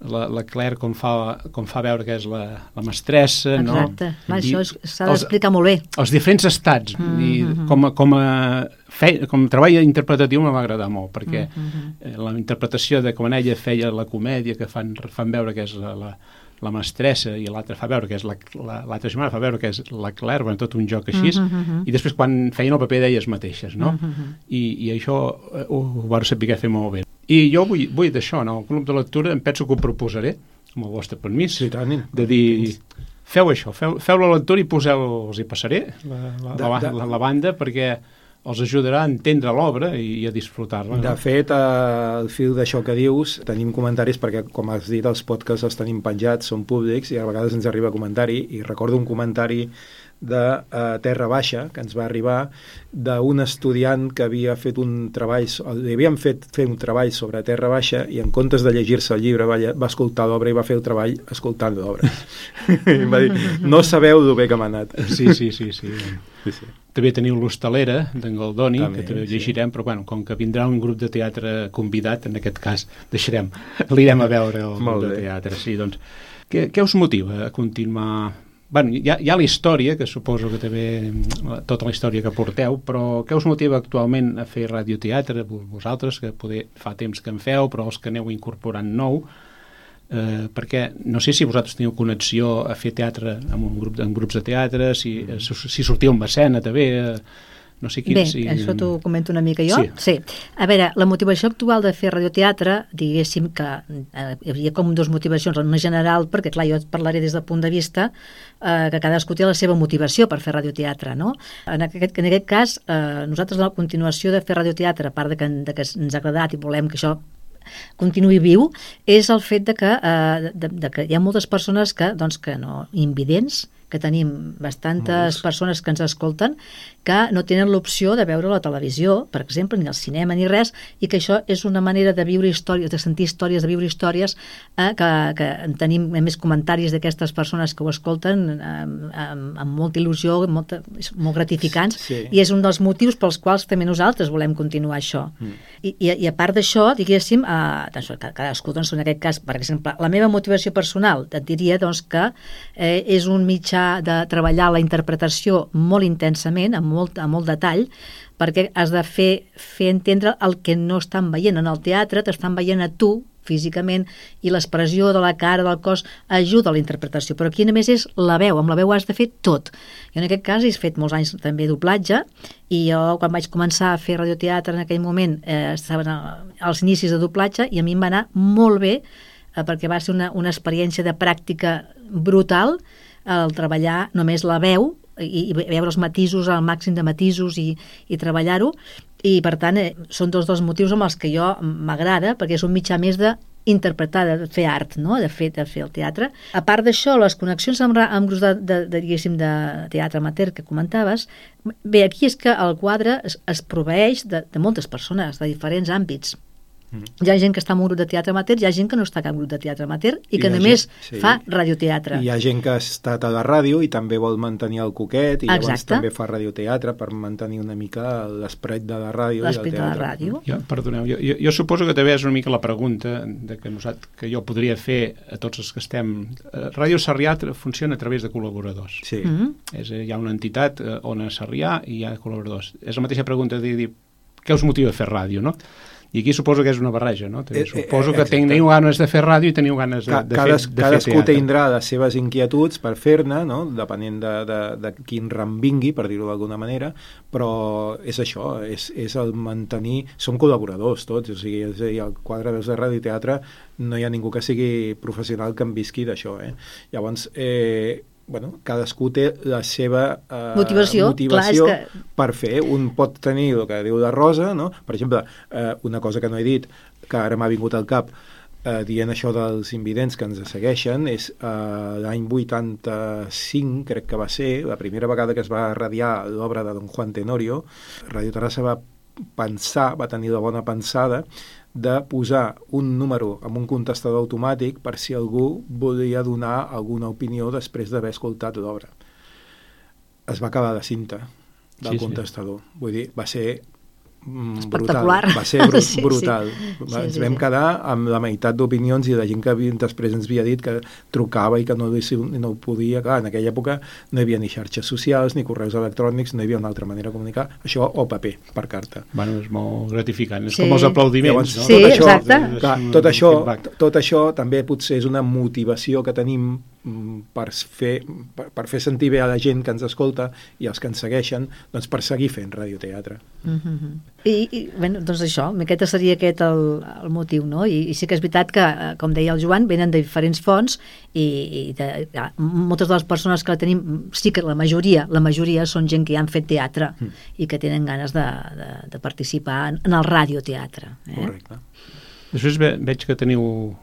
la, la Claire, com fa, com fa veure que és la, la mestressa, Exacte. no? Exacte, això s'ha d'explicar molt bé. Els diferents estats, mm -hmm. i com a, com a, fe, com a treball interpretatiu me va agradar molt, perquè mm -hmm. la interpretació de com ella feia la comèdia, que fan, fan veure que és la, la la mestressa i l'altra fa veure que és la, la, l'altra germana fa veure que és la Claire, bueno, tot un joc així, uh -huh, uh -huh. i després quan feien el paper d'elles mateixes, no? Uh -huh. I, i això uh, ho, ho vau saber fer molt bé. I jo vull, vull d'això, no? El club de lectura em penso que ho proposaré, amb el vostre permís, sí, tant, de dir, feu això, feu, feu la lectura i poseu, els hi passaré la, la, la, la, la, la banda, perquè els ajudarà a entendre l'obra i a disfrutar-la. De no? fet, al fil d'això que dius, tenim comentaris perquè, com has dit, els podcasts els tenim penjats, són públics, i a vegades ens arriba comentari, i recordo un comentari de uh, Terra Baixa, que ens va arribar, d'un estudiant que havia fet un treball, li havien fet fer un treball sobre Terra Baixa, i en comptes de llegir-se el llibre va, va escoltar l'obra i va fer el treball escoltant l'obra. I va dir, no sabeu el bé que m'ha anat. Sí, sí, sí, sí. sí, sí. També teniu l'Hostalera, d'en Goldoni, també, que també sí. llegirem, però bueno, com que vindrà un grup de teatre convidat, en aquest cas deixarem, l'irem a veure el grup de teatre. Sí, doncs, què, què us motiva a continuar? Bueno, hi ha, hi ha la història, que suposo que també, tota la història que porteu, però què us motiva actualment a fer radioteatre? Vosaltres, que poder, fa temps que en feu, però els que aneu incorporant nou, eh, perquè no sé si vosaltres teniu connexió a fer teatre amb un grup, amb grups de teatre, si, si sortiu amb escena també, eh, no sé quin... Bé, si... això t'ho comento una mica jo. Sí. sí. A veure, la motivació actual de fer radioteatre, diguéssim que eh, hi havia com dues motivacions, una general, perquè clar, jo et parlaré des del punt de vista eh, que cadascú té la seva motivació per fer radioteatre, no? En aquest, en aquest cas, eh, nosaltres la continuació de fer radioteatre, a part de que, de que ens ha agradat i volem que això continuï viu, és el fet de que, eh, de, de que hi ha moltes persones que, doncs, que no, invidents, que tenim bastantes Molts. persones que ens escolten que no tenen l'opció de veure la televisió, per exemple, ni el cinema ni res, i que això és una manera de viure històries, de sentir històries, de viure històries, eh, que, que tenim més comentaris d'aquestes persones que ho escolten eh, amb, amb molta il·lusió, molta, molt gratificants, sí. i és un dels motius pels quals també nosaltres volem continuar això. Mm. I, i, I a part d'això, diguéssim, eh, doncs, cadascú, doncs, en aquest cas, per exemple, la meva motivació personal, et diria doncs, que eh, és un mitjà de treballar la interpretació molt intensament, amb molt, amb molt detall, perquè has de fer, fer entendre el que no estan veient en el teatre, t'estan veient a tu físicament, i l'expressió de la cara, del cos, ajuda a la interpretació, però aquí només és la veu, amb la veu has de fer tot. Jo en aquest cas he fet molts anys també doblatge, i jo quan vaig començar a fer radioteatre en aquell moment eh, estaven als inicis de doblatge, i a mi em va anar molt bé, eh, perquè va ser una, una experiència de pràctica brutal, el treballar només la veu i, i veure els matisos, el màxim de matisos i, i treballar-ho, i per tant eh, són dos dels motius amb els que jo m'agrada, perquè és un mitjà més de interpretar, de fer art, no? de, fer, de fer el teatre. A part d'això, les connexions amb, amb grups de, de, de, diguéssim, de teatre amateur que comentaves, bé, aquí és que el quadre es, es proveeix de, de moltes persones, de diferents àmbits. Mm. Hi ha gent que està en un grup de teatre amateur, hi ha gent que no està en cap grup de teatre amateur i que només gent, sí. fa radioteatre. Hi ha gent que ha estat a la ràdio i també vol mantenir el coquet, i Exacte. llavors també fa radioteatre per mantenir una mica l'esperat de la ràdio. L'esperat de la ràdio. Jo, perdoneu, jo, jo, jo suposo que també és una mica la pregunta de que, nosaltres, que jo podria fer a tots els que estem... Ràdio Sarrià funciona a través de col·laboradors. Sí. Mm-hmm. És, hi ha una entitat on a Sarrià i hi ha col·laboradors. És la mateixa pregunta de dir què us motiva a fer ràdio, no? I aquí suposo que és una barreja, no? Eh, suposo que teniu ganes de fer ràdio i teniu ganes de, de, Cades, fer, de cadascú fer teatre. tindrà les seves inquietuds per fer-ne, no? Depenent de, de, de quin ram vingui, per dir-ho d'alguna manera, però és això, és, és el mantenir... Som col·laboradors tots, o sigui, és, i al quadre de ràdio i teatre no hi ha ningú que sigui professional que en visqui d'això, eh? Llavors, eh, bueno, cadascú té la seva eh, motivació, motivació clar, que... per fer. Un pot tenir el que diu la Rosa, no? Per exemple, eh, una cosa que no he dit, que ara m'ha vingut al cap, eh, dient això dels invidents que ens segueixen, és eh, l'any vuitanta-cinc, crec que va ser, la primera vegada que es va radiar l'obra de Don Juan Tenorio. Radio Terrassa va pensar, va tenir la bona pensada de posar un número amb un contestador automàtic per si algú volia donar alguna opinió després d'haver escoltat l'obra. Es va acabar la cinta del sí, contestador. Sí. Vull dir, va ser espectacular. Brutal. Va ser br sí, brutal. Sí. Va, Sí, ens sí, vam sí. quedar amb la meitat d'opinions i la gent que havia, després ens havia dit que trucava i que no, no ho podia. Clar, en aquella època no hi havia ni xarxes socials, ni correus electrònics, no hi havia una altra manera de comunicar. Això o paper, per carta. Bueno, és molt gratificant. És Sí. com els aplaudiments. Llavors, no? Sí, tot això, exacte. clar, tot, això, tot això també potser és una motivació que tenim per fer, per, per fer sentir bé a la gent que ens escolta i els que ens segueixen, doncs per seguir fent radioteatre. Mm-hmm. I, i bueno, doncs això, aquest seria aquest el, el motiu, no? I, i sí que és veritat que, com deia el Joan, venen de diferents fonts i, i de, ja, moltes de les persones que la tenim, sí que la majoria la majoria són gent que ja han fet teatre mm. i que tenen ganes de, de, de participar en, en el radioteatre. Eh? Correcte. Després ve, veig que teniu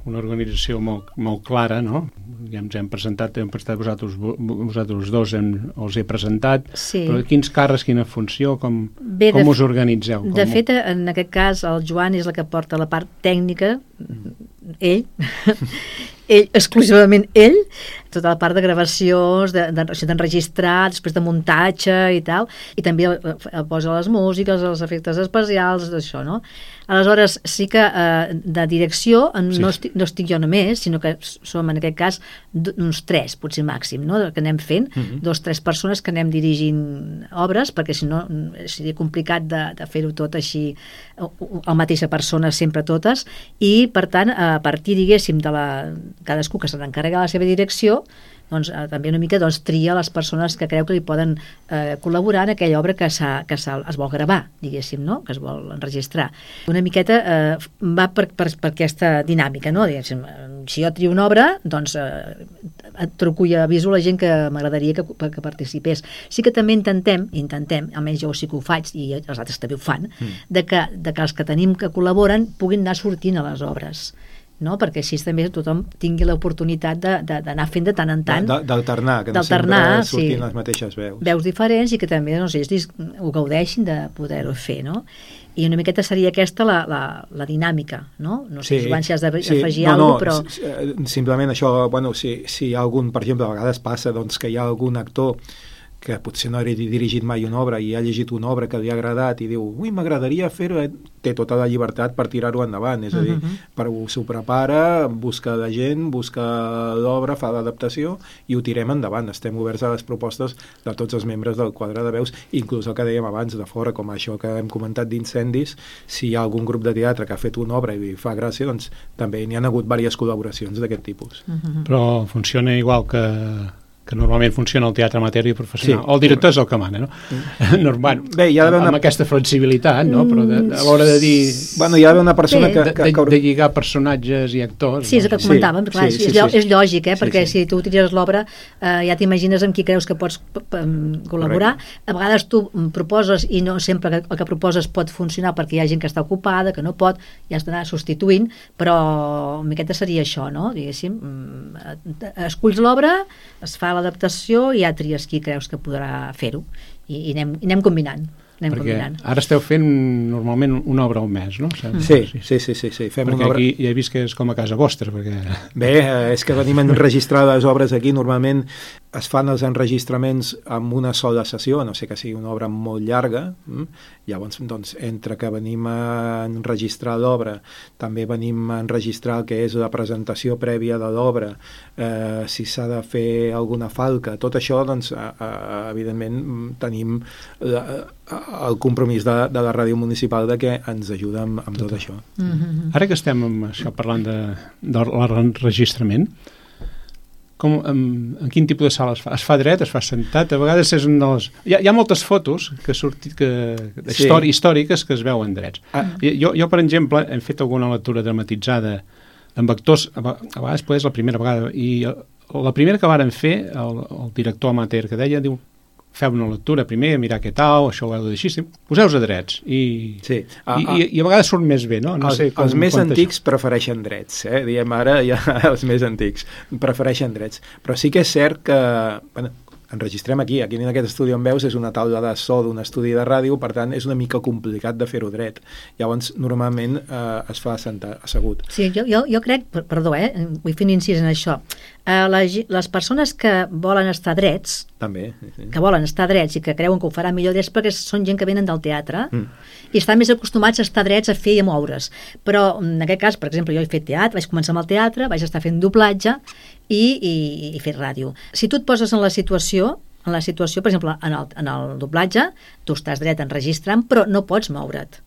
una organització molt, molt clara, no? Ja ens hem presentat, hem presentat vosaltres, vosaltres dos, hem, els he presentat, Sí. però quins càrrecs, quina funció, com, Bé, com de, us organitzeu? Com... De fet, en aquest cas, el Joan és el que porta la part tècnica, ell, ell, exclusivament ell, tota la part de gravacions, d'enregistrar, de, de, després de muntatge i tal, i també posa les músiques, els efectes especials, d'això, no? Aleshores, sí que eh, de direcció sí. no, estic, no estic jo només, sinó que som, en aquest cas, uns tres, potser màxim, no?, que anem fent, uh-huh. dos, tres persones que anem dirigint obres, perquè si no seria complicat de, de fer-ho tot així, la mateixa persona sempre totes, i per tant, a partir, diguéssim, de la, cadascú que se n'encarrega la seva direcció, doncs eh, també una mica doncs, tria les persones que creu que li poden eh, col·laborar en aquella obra que, que es vol gravar, diguéssim, no?, que es vol enregistrar. Una miqueta eh, va per, per, per aquesta dinàmica, no? Diguéssim, si jo trio una obra, doncs eh, truco i aviso la gent que m'agradaria que, que participés. Sí que també intentem, intentem, almenys jo sí que ho faig i els altres també ho fan, mm. de, que, de que els que tenim que col·laboren puguin anar sortint a les obres, no? Perquè així també tothom tingui l'oportunitat d'anar fent de tant en tant, d'alternar, que no sempre sortint sí, les mateixes veus veus diferents i que també no sé, ells ho gaudeixin de poder-ho fer, no? I una miqueta seria aquesta la, la, la dinàmica, no? No sé, sí, Joan, si has d'afegir sí, no, alguna cosa, no, però... Simplement això, bueno, si, si hi ha algun, per exemple, a vegades passa doncs, que hi ha algun actor que potser no ha dirigit mai una obra i ha llegit una obra que li ha agradat i diu, ui, m'agradaria fer-ho, té tota la llibertat per tirar-ho endavant, és a dir, uh-huh. per, s'ho prepara, busca la gent, busca l'obra, fa l'adaptació i ho tirem endavant. Estem oberts a les propostes de tots els membres del quadre de veus, inclús el que dèiem abans de fora, com això que hem comentat d'incendis, si hi ha algun grup de teatre que ha fet una obra i li fa gràcia, doncs també n'hi ha hagut diverses col·laboracions d'aquest tipus. Uh-huh. Però funciona igual que que normalment funciona el teatre amateur i professional. Sí. El director és el que mana, no? no bueno, Bé, hi ha d'haver una... amb aquesta flexibilitat, no? Però de, a l'hora de dir... Bueno, hi ha d'haver una persona que... De, que, que... de, de lligar personatges i actors... Sí, és el que comentàvem, sí, clar, sí, sí, és, sí, és lògic, eh? Sí, perquè sí. si tu utilitzes l'obra eh, ja t'imagines amb qui creus que pots col·laborar. Correcte. A vegades tu proposes i no sempre el que proposes pot funcionar perquè hi ha gent que està ocupada, que no pot, i has d'anar substituint, però una miqueta seria això, no? Diguéssim, esculls l'obra, es fa l'adaptació i ja tries qui creus que podrà fer-ho i, i, anem, i anem combinant. Anem perquè combinant. Ara esteu fent normalment una obra al mes, no? Sí, sí, sí, sí, sí. Fem perquè una obra... aquí ja he vist que és com a casa vostra, perquè... Bé, és que venim a enregistrar les obres aquí, normalment es fan els enregistraments amb una sola sessió, a no sé que sigui una obra molt llarga, hm? Llavors, doncs, entre que venim a enregistrar l'obra, també venim a enregistrar el que és la presentació prèvia de l'obra, eh, si s'ha de fer alguna falca, tot això, doncs, a, a, evidentment, tenim la, el compromís de, de la ràdio municipal de que ens ajuda amb, amb tot això. Mm-hmm. Ara que estem amb això parlant de, de l'enregistrament, com, en, en quin tipus de sala es fa? Es fa dret, es fa sentat? A vegades és un dels... Hi ha, hi ha moltes fotos que sortit que, sí. històriques que es veuen drets. Ah. Jo, jo, per exemple, hem fet alguna lectura dramatitzada amb actors, a vegades potser és la primera vegada, i la primera que varen fer, el, el director amateur que deia, diu, feu una lectura primer, mirar què tal, això ho heu de dir així, poseu-vos a drets i, sí. a, i, i, i a vegades surt més bé, no? no els, sé com, els més com antics prefereixen drets, eh? Diem ara ja els més antics prefereixen drets, però sí que és cert que bueno, enregistrem aquí, aquí en aquest estudi on veus és una taula de so d'un estudi de ràdio, per tant és una mica complicat de fer-ho dret, llavors normalment eh, es fa assentar, assegut. Sí, jo, jo, jo crec, perdó, eh, vull fer un incís en això, eh, les, les persones que volen estar drets, també, sí. que volen estar drets i que creuen que ho faran millor drets perquè són gent que venen del teatre mm. i estan més acostumats a estar drets, a fer i a moure's, però en aquest cas, per exemple, jo he fet teatre, vaig començar amb el teatre, vaig estar fent doblatge i, i, i fer ràdio. Si tu et poses en la situació, en la situació, per exemple, en el, en el doblatge, tu estàs dret enregistrant, però no pots moure't.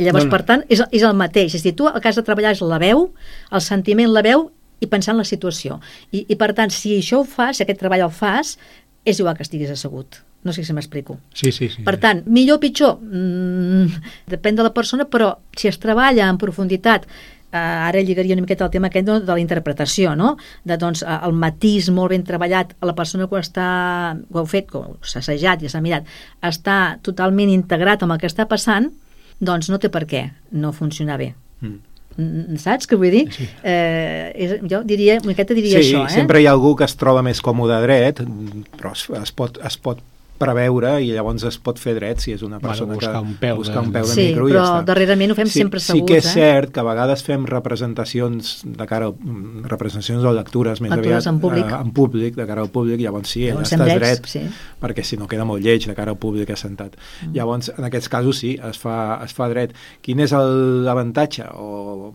I llavors, no, no. per tant, és, és el mateix. És a dir, tu el que has de treballar és la veu, el sentiment, la veu, i pensar en la situació. I, i per tant, si això ho fas, si aquest treball el fas, és igual que estiguis assegut. No sé si m'explico. Sí, sí, sí. Per tant, millor o pitjor, mmm, depèn de la persona, però si es treballa en profunditat, eh, ara lligaria una miqueta el tema aquest de la interpretació, no? De, doncs, el matís molt ben treballat, a la persona que ho està, ho heu fet, que s'ha assajat i s'ha mirat, està totalment integrat amb el que està passant, doncs no té per què no funcionar bé. Mm. Saps què vull dir? Sí. Eh, és, jo diria, una miqueta diria sí, això. Eh? Sempre hi ha algú que es troba més còmode dret, però es, es, pot, es pot preveure i llavors es pot fer dret si és una persona bueno, buscar que un peu buscar de... un peu de sí, micro i però ja està. Darrerament ho fem sí, sempre asseguts. Sí que és eh? cert que a vegades fem representacions de cara a, representacions o lectures més lectures aviat en públic. Eh, en públic, de cara al públic, llavors sí, allà llavors estàs drets, dret, sí. perquè si no queda molt lleig de cara al públic assentat. Mm. Llavors, en aquests casos sí, es fa, es fa dret. Quin és l'avantatge o,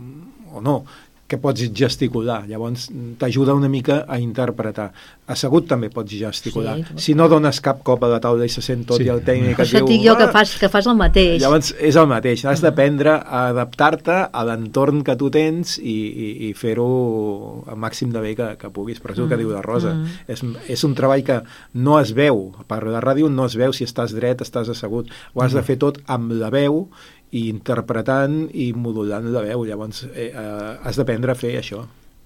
o no? Que pots gesticular, llavors t'ajuda una mica a interpretar. Assegut també pots gesticular. Sí, si no dones cap cop a la taula i se sent tot sí. i el tècnic et diu... Això dic jo que fas, que fas el mateix. Llavors és el mateix, has d'aprendre a adaptar-te a l'entorn que tu tens i, i, i fer-ho al màxim de bé que, que puguis, però és el que mm. diu la Rosa. Mm. És, és un treball que no es veu, per la ràdio no es veu si estàs dret, estàs assegut. Ho has mm. de fer tot amb la veu i interpretant i modulant la veu, llavors eh, eh, has d'aprendre a fer això.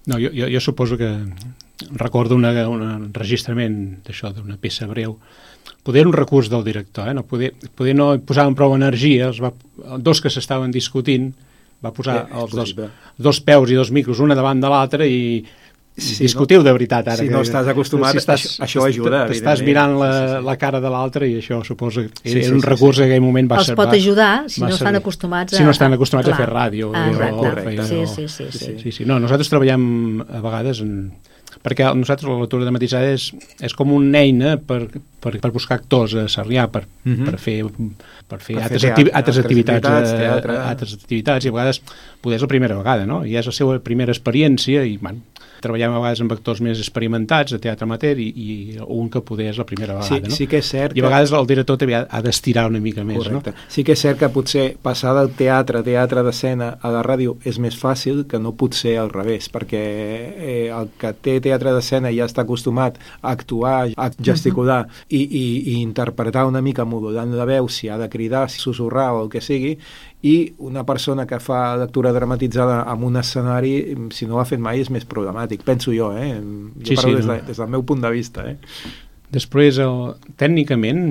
No, jo, jo, jo suposo que recordo una, un enregistrament d'això, d'una peça breu, poder un recurs del director, eh? no, poder, poder no posar prou energia, els va, dos que s'estaven discutint, va posar eh, els dos, dos peus i dos micros, una davant de l'altre i si discutiu no, de veritat ara. Si que, no estàs acostumat, si estàs, això, això ajuda. T'estàs mirant la, sí, sí, sí. la cara de l'altre i això suposo que sí, era sí, un recurs sí, sí. que en aquell moment va ser... Els ser, pot ajudar si no ser, estan acostumats a... Si no estan acostumats clar. a fer ràdio. Ah, o, correcte. O, sí, sí, sí, sí. sí, sí. No, nosaltres treballem a vegades en... perquè nosaltres la lectura dramatitzada és, és com una eina per, per, per buscar actors a Sarrià, per, uh-huh. per fer, per fer, per altres, fer teatre, activi, altres activitats, activitats, teatre. A, altres activitats, i a vegades poder és la primera vegada, no? I és la seva primera experiència i, bueno, treballem a vegades amb actors més experimentats de teatre amateur i, i un que poder és la primera vegada, sí, no? Sí que és cert I a vegades que... el director també ha, ha d'estirar una mica més, correcte. No? Sí que és cert que potser passar del teatre, teatre d'escena a la ràdio és més fàcil que no pot ser al revés, perquè eh, el que té teatre d'escena ja està acostumat a actuar, a gesticular uh-huh. i, i, i interpretar una mica modulant la veu, si ha de cridar, si susurrar o el que sigui, i una persona que fa lectura dramatitzada en un escenari, si no ho ha fet mai, és més problemàtic, penso jo, eh? Jo sí, parlo sí, des, no. de, des del meu punt de vista, eh? Després, el, tècnicament,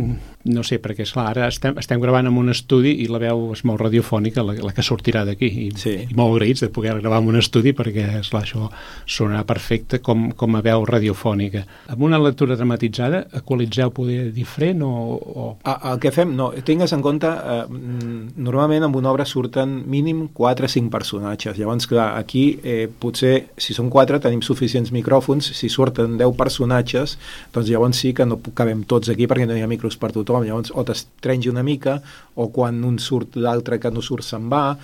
no sé, perquè esclar, ara estem, estem gravant en un estudi i la veu és molt radiofònica, la, la que sortirà d'aquí, i, sí. i molt agraïts de poder gravar en un estudi perquè, esclar, això sonarà perfecte com, com a veu radiofònica. Amb una lectura dramatitzada, equalitzeu poder diferent o...? o... A, el que fem, no, tingues en compte, eh, normalment en una obra surten mínim quatre o cinc personatges, llavors, clar, aquí eh, potser, si són quatre, tenim suficients micròfons, si surten deu personatges, doncs llavors sí que no cabem tots aquí perquè no hi ha micros per tothom, llavors o t'estrengi una mica o quan un surt l'altre que no surt se'n va.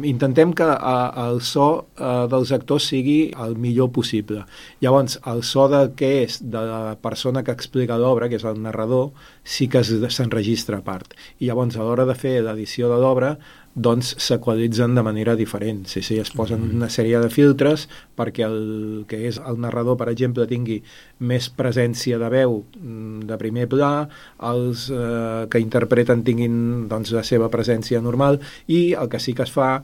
Intentem que a, el so a, dels actors sigui el millor possible. Llavors el so de què és de la persona que explica l'obra, que és el narrador, sí que s'enregistra a part, i llavors a l'hora de fer l'edició de l'obra doncs s'equalitzen de manera diferent. Sí, sí, es posen una sèrie de filtres perquè el que és el narrador, per exemple, tingui més presència de veu de primer pla, els eh, que interpreten tinguin doncs, la seva presència normal, i el que sí que es fa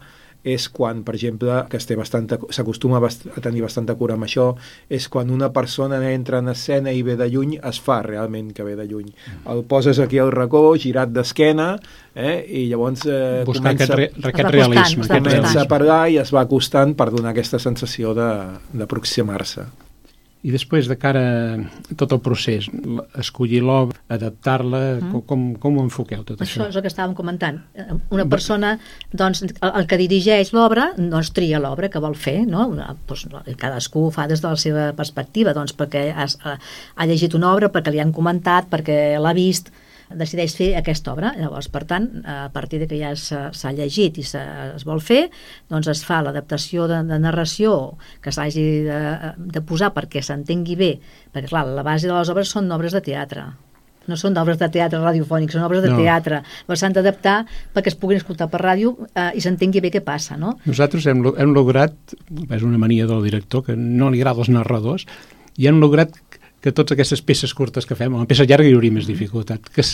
és quan, per exemple, que es té bastanta, s'acostuma bast a tenir bastanta cura amb això, és quan una persona entra en escena i ve de lluny, es fa realment que ve de lluny. El poses aquí al racó, girat d'esquena, eh, i llavors eh, buscar comença, aquest, re aquest realisme. Aquest comença a parlar i es va acostant per donar aquesta sensació d'aproximar-se. I després, de cara a tot el procés, escollir l'obra, adaptar-la, mm. com, com ho enfoqueu tot això? Això és el que estàvem comentant. Una persona, doncs, el que dirigeix l'obra, doncs tria l'obra que vol fer, no? Pues, cadascú ho fa des de la seva perspectiva, doncs perquè has, ha llegit una obra, perquè li han comentat, perquè l'ha vist, decideix fer aquesta obra. Llavors, per tant, a partir de que ja s'ha llegit i es vol fer, doncs es fa l'adaptació de, de narració que s'hagi de, de posar perquè s'entengui bé, perquè clar, la base de les obres són obres de teatre, no són obres de teatre radiofònic, són obres de no. teatre, però s'han d'adaptar perquè es puguin escoltar per ràdio eh, i s'entengui bé què passa, no? Nosaltres hem, hem lograt, és una mania del director que no li agrada els narradors, i hem lograt que totes aquestes peces curtes que fem, una peça llarga hi hauria més dificultat, que,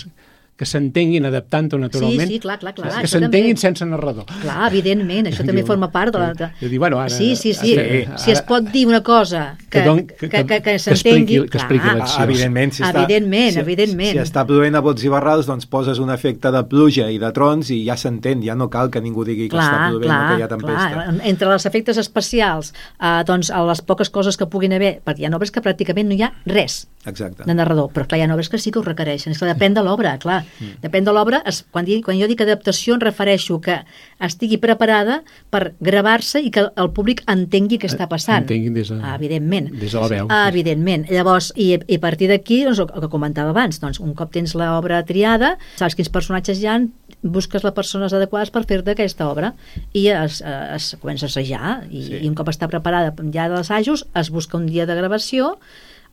que s'entenguin adaptant-ho naturalment, sí, sí, clar, clar, clar, que s'entenguin sense narrador. Clar, evidentment, això també forma part de la... De... De dir, bueno, ara, sí, sí, sí, ara, si es pot dir una cosa que, que, don, que, que, que, que s'entengui... Que expliqui l'acció. Evidentment, si, evidentment, està, si, evidentment. si està plovent a bots i barrals, doncs poses un efecte de pluja i de trons i ja s'entén, ja no cal que ningú digui que clar, està plovent clar, o que hi ha tempesta. Clar. Entre els efectes especials, eh, doncs a les poques coses que puguin haver, perquè hi ha obres que pràcticament no hi ha res Exacte. de narrador, però clar, hi ha obres que sí que ho requereixen, és que depèn de l'obra, clar, mm. depèn de l'obra, quan, quan jo dic adaptació em refereixo que estigui preparada per gravar-se i que el públic entengui què està passant. Entenguin des de, ah, evidentment. Des de la veu. Ah, evidentment. Llavors, i, i a partir d'aquí, doncs, el que comentava abans, doncs, un cop tens l'obra triada, saps quins personatges hi ha, busques les persones adequades per fer-te aquesta obra i es, es comença a assajar i, sí. i un cop està preparada ja dels assajos, es busca un dia de gravació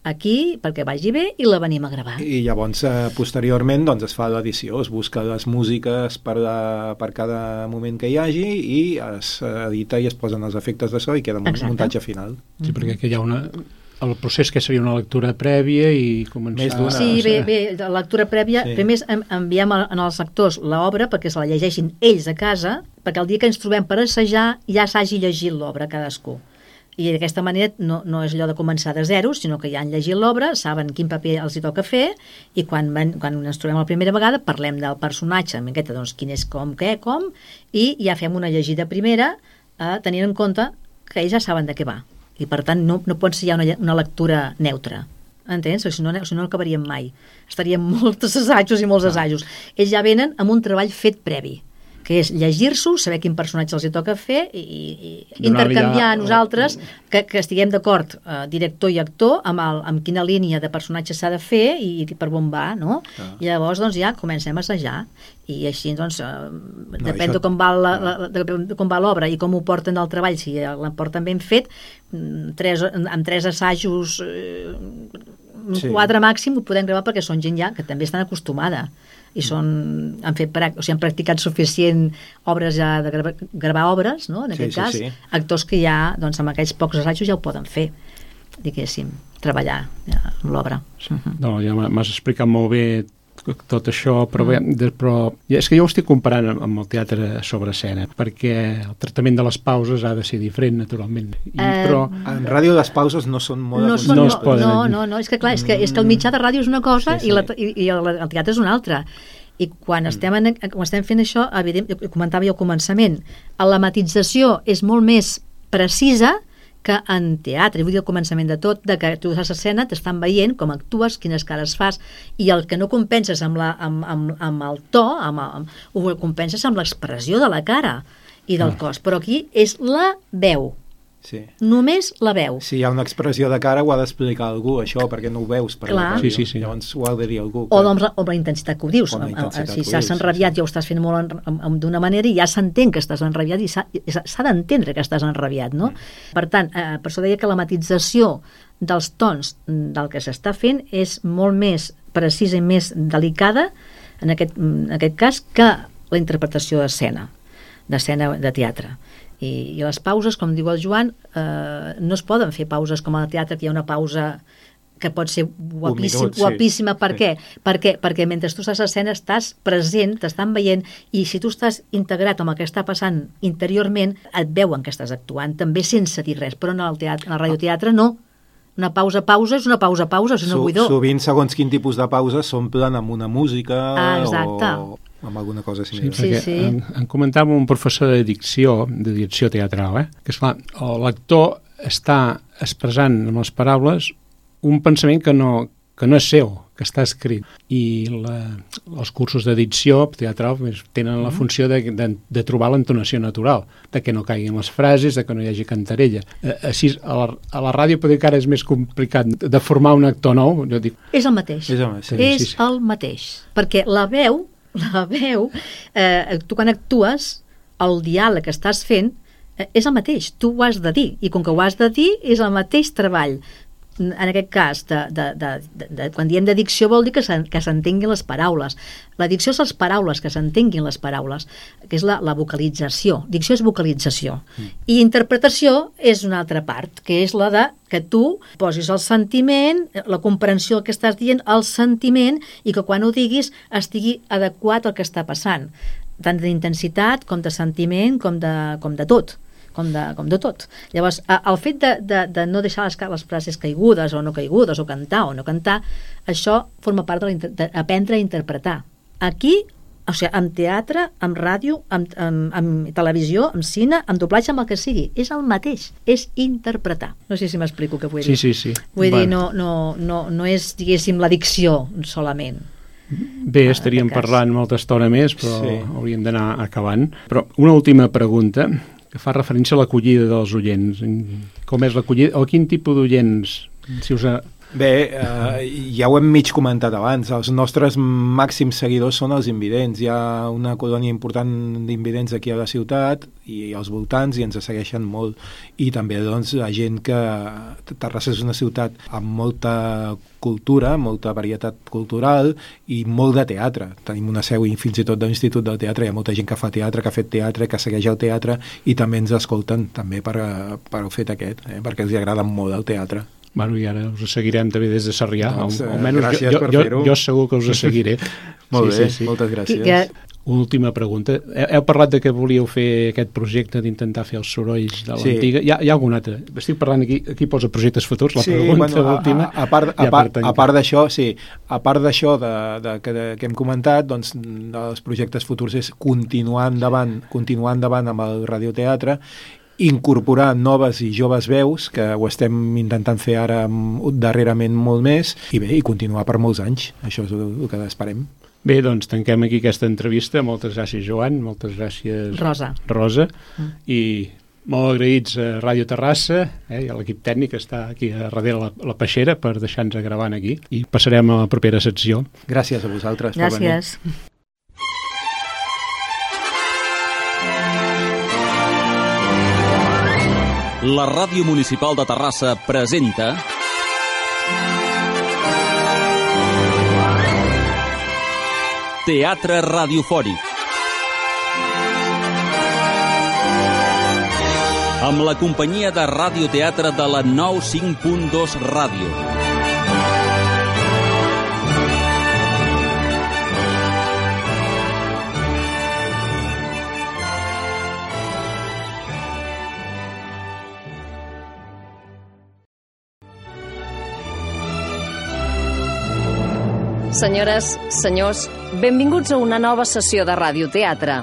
aquí perquè vagi bé i la venim a gravar. I llavors, eh, posteriorment, doncs es fa l'edició, es busca les músiques per, a, per cada moment que hi hagi i es edita i es posen els efectes de so i queda un Exacte. muntatge final. Sí, perquè aquí hi ha una... el procés que seria una lectura prèvia i començar... Sí, bé, bé, la lectura prèvia, sí. primer enviem als actors l'obra perquè se la llegeixin ells a casa, perquè el dia que ens trobem per assajar ja s'hagi llegit l'obra cadascú. I d'aquesta manera no, no és allò de començar de zero, sinó que ja han llegit l'obra, saben quin paper els hi toca fer i quan, van, quan ens trobem la primera vegada parlem del personatge, amb aquesta, doncs, quin és com, què, com, i ja fem una llegida primera eh, tenint en compte que ells ja saben de què va. I per tant no, no pot ser ja una, una lectura neutra. Entens? Si no, si no acabaríem mai. Estaríem molts assajos i molts assajos. Ells ja venen amb un treball fet previ, que és llegir-s'ho, saber quin personatge els hi toca fer i, i intercanviar a nosaltres que, que estiguem d'acord, eh, director i actor, amb, el, amb quina línia de personatge s'ha de fer i, i per on va, no? Ah. I llavors doncs, ja comencem a assajar i així doncs, eh, no, depèn això... de com va la, la, de, de com va l'obra i com ho porten al treball, si la porten ben fet, tres, amb tres assajos, eh, sí. quatre màxim ho podem gravar perquè són gent ja que també estan acostumada i són, han, fet, o sigui, han practicat suficient obres ja de gravar, gravar obres, no? En aquest sí, cas, sí, sí. actors que ja, doncs amb aquells pocs assajos ja ho poden fer, diguéssim, treballar ja, amb l'obra. No, ja m'has explicat molt bé tot això, però, bé, de, però és que jo ho estic comparant amb, amb el teatre sobre escena, perquè el tractament de les pauses ha de ser diferent, naturalment. I, eh, però en ràdio les pauses no són molt... No, són, no, no, no, no, no, és que clar, és que, és que el mitjà de ràdio és una cosa sí, sí. i, la, i, i el, el teatre és una altra. I quan, mm. estem, en, quan estem fent això, evident, comentava jo al començament, la matització és molt més precisa que en teatre, vull dir al començament de tot, de que tu fas escena, t'estan veient com actues, quines cares fas, i el que no compenses amb, la, amb, amb, amb el to, amb, amb, ho compenses amb l'expressió de la cara i del ah. cos, però aquí és la veu. Sí. Només la veu. Si hi ha una expressió de cara ho ha d'explicar algú, això, perquè no ho veus per Clar. la ràdio. Sí, sí, sí. Llavors ho ha de dir algú. Que... O, doncs, o la intensitat que ho dius. Si s'has enrabiat sí, sí. ja ho estàs fent molt d'una manera i ja s'entén que estàs enrabiat i s'ha d'entendre que estàs enrabiat, no? Mm. Per tant, eh, per això deia que la matització dels tons del que s'està fent és molt més precisa i més delicada en aquest, en aquest cas que la interpretació d'escena, d'escena de teatre. I, i les pauses, com diu el Joan, eh, no es poden fer pauses com al teatre, que hi ha una pausa que pot ser guapíssim, minut, sí. guapíssima. Per Sí. què? Perquè, perquè mentre tu estàs a l'escena estàs present, t'estan veient, i si tu estàs integrat amb el que està passant interiorment, et veuen que estàs actuant, també sense dir res, però en el, teatre, en el radioteatre no. Una pausa-pausa és una pausa-pausa, és un Su, buidor. Sovint, segons quin tipus de pausa, s'omplen amb una música Ah, exacte. o amb alguna cosa Sí, similar. perquè sí. En, en comentava un professor de dicció, de direcció teatral, eh? que esclar, l'actor està expressant amb les paraules un pensament que no, que no és seu, que està escrit. I la, els cursos de dicció teatral pues, tenen la funció de, de, de trobar l'entonació natural, de que no caiguin les frases, de que no hi hagi cantarella. Eh, així, a la, a la ràdio potser que ara és més complicat de formar un actor nou. Jo dic, És el mateix. És el, sí. és sí, sí. el mateix. Perquè la veu, la veu, eh, tu quan actues, el diàleg que estàs fent eh, és el mateix, tu ho has de dir, i com que ho has de dir, és el mateix treball. En aquest cas, de, de, de, de, de, quan diem de dicció vol dir que s'entenguin les paraules. La dicció són les paraules, que s'entenguin les paraules, que és la, la vocalització. Dicció és vocalització. Mm. I interpretació és una altra part, que és la de que tu posis el sentiment, la comprensió del que estàs dient, el sentiment, i que quan ho diguis estigui adequat al que està passant, tant d'intensitat com de sentiment com de, com de tot. Com de, com de tot. Llavors, el fet de, de, de no deixar les, les frases caigudes o no caigudes, o cantar o no cantar, això forma part d'aprendre a interpretar. Aquí, o sigui, amb teatre, amb ràdio, amb, amb, amb televisió, amb cine, amb doblatge, amb el que sigui, és el mateix, és interpretar. No sé si m'explico què vull dir. Sí, sí, sí. Vull bueno. dir, no, no, no, no és, diguéssim, la dicció solament. Bé, estaríem parlant molta estona més, però sí. hauríem d'anar acabant. Però una última pregunta, que fa referència a l'acollida dels oients. Com és l'acollida? O quin tipus d'oients? Si us ha... Bé, eh, ja ho hem mig comentat abans. Els nostres màxims seguidors són els invidents. Hi ha una colònia important d'invidents aquí a la ciutat i als voltants, i ens segueixen molt. I també, doncs, la gent que... Terrassa és una ciutat amb molta cultura, molta varietat cultural i molt de teatre. Tenim una seu, i fins i tot de l'Institut del Teatre. Hi ha molta gent que fa teatre, que ha fet teatre, que segueix el teatre, i també ens escolten també per, per el fet aquest, eh, perquè els agrada molt el teatre. Bueno, i ara us seguirem també des de Sarrià, doncs, al, almenys gràcies jo, per jo, fer-ho. Jo segur que us seguiré. Molt sí, bé, sí, sí. moltes gràcies. Que... Una última pregunta. Heu parlat de que volíeu fer aquest projecte d'intentar fer els sorolls de l'antiga. Sí. Hi, ha, hi ha algun altre? Estic parlant aquí, aquí posa projectes futurs, la sí, pregunta bueno, última. A, a, a part, a part, a part d'això, sí, a part d'això de, de, que, de, que hem comentat, doncs, els projectes futurs és continuar endavant, continuar endavant amb el radioteatre, incorporar noves i joves veus, que ho estem intentant fer ara darrerament molt més, i bé, i continuar per molts anys. Això és el, el que esperem. Bé, doncs tanquem aquí aquesta entrevista. Moltes gràcies, Joan, moltes gràcies, Rosa. Rosa. Mm. I molt agraïts a Ràdio Terrassa, eh, i a l'equip tècnic que està aquí a darrere la, la peixera per deixar-nos gravant aquí. I passarem a la propera secció. Gràcies a vosaltres gràcies. per venir. La Ràdio Municipal de Terrassa presenta Teatre Radiofònic, amb la companyia de radioteatre de la nou cinc punt dos Ràdio. Senyores, senyors, benvinguts a una nova sessió de radioteatre.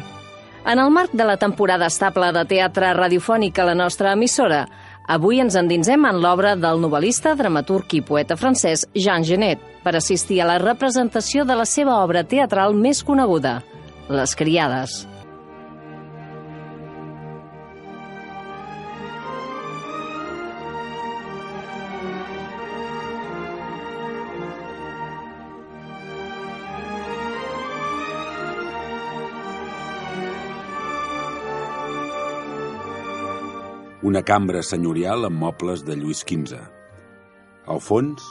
En el marc de la temporada estable de teatre radiofònic a la nostra emissora, avui ens endinsem en l'obra del novel·lista, dramaturg i poeta francès Jean Genet per assistir a la representació de la seva obra teatral més coneguda, Les criades. Una cambra senyorial amb mobles de Lluís quinze. Al fons,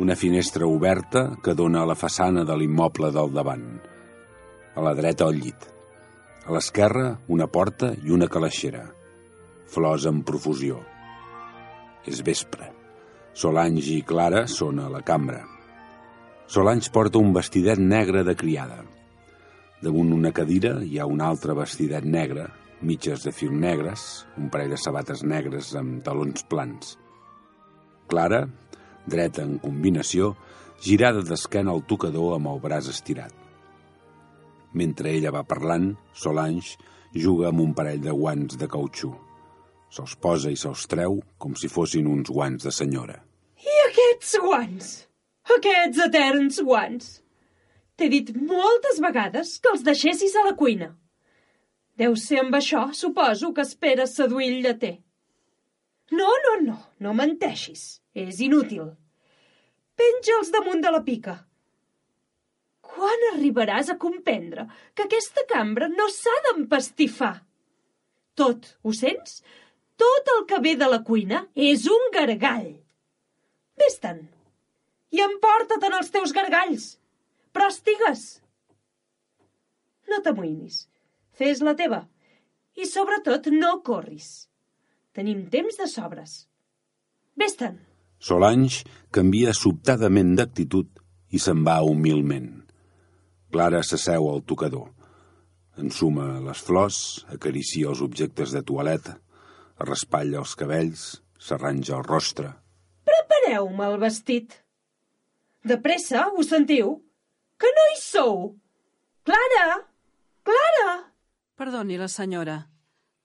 una finestra oberta que dona a la façana de l'immoble del davant. A la dreta, el llit. A l'esquerra, una porta i una calaixera. Flors en profusió. És vespre. Solange i Clara són a la cambra. Solange porta un vestidet negre de criada. Damunt una cadira hi ha un altre vestidet negre, mitges de fil negres, un parell de sabates negres amb talons plans. Clara, dreta en combinació, girada d'esquena al tocador amb el braç estirat. Mentre ella va parlant, Solange juga amb un parell de guants de cautxú. Se'ls posa i se'ls treu com si fossin uns guants de senyora. I aquests guants? Aquests eterns guants? T'he dit moltes vegades que els deixessis a la cuina. Deu ser amb això, suposo, que esperes seduir el lleter. No, no, no, no menteixis. És inútil. Penja'ls damunt de la pica. Quan arribaràs a comprendre que aquesta cambra no s'ha d'empastifar? Tot, ho sents? Tot el que ve de la cuina és un gargall. Vés-te'n i emporta-te'n els teus gargalls. Però estigues. No t'amoïnis. Fes la teva. I sobretot no corris. Tenim temps de sobres. Vés-te'n. Solange canvia sobtadament d'actitud i se'n va humilment. Clara s'asseu al tocador. Ensuma les flors, acaricia els objectes de toaleta, es raspalla els cabells, s'arranja el rostre. Prepareu-me el vestit. De pressa, ho sentiu? Que no hi sou? Clara! Clara! Perdoni la senyora.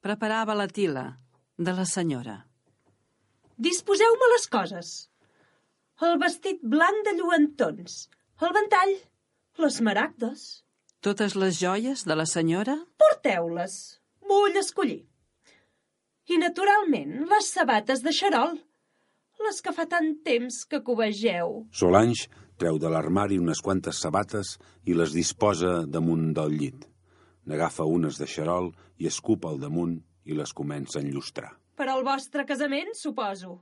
Preparava la tila de la senyora. Disposeu-me les coses. El vestit blanc de lluentons, el ventall, les maragdes. Totes les joies de la senyora? Porteu-les. Vull escollir. I, naturalment, les sabates de xarol, les que fa tant temps que covegeu. Solange treu de l'armari unes quantes sabates i les disposa damunt del llit. N'agafa unes de xarol i escupa al damunt i les comença a enllustrar. Per al vostre casament, suposo.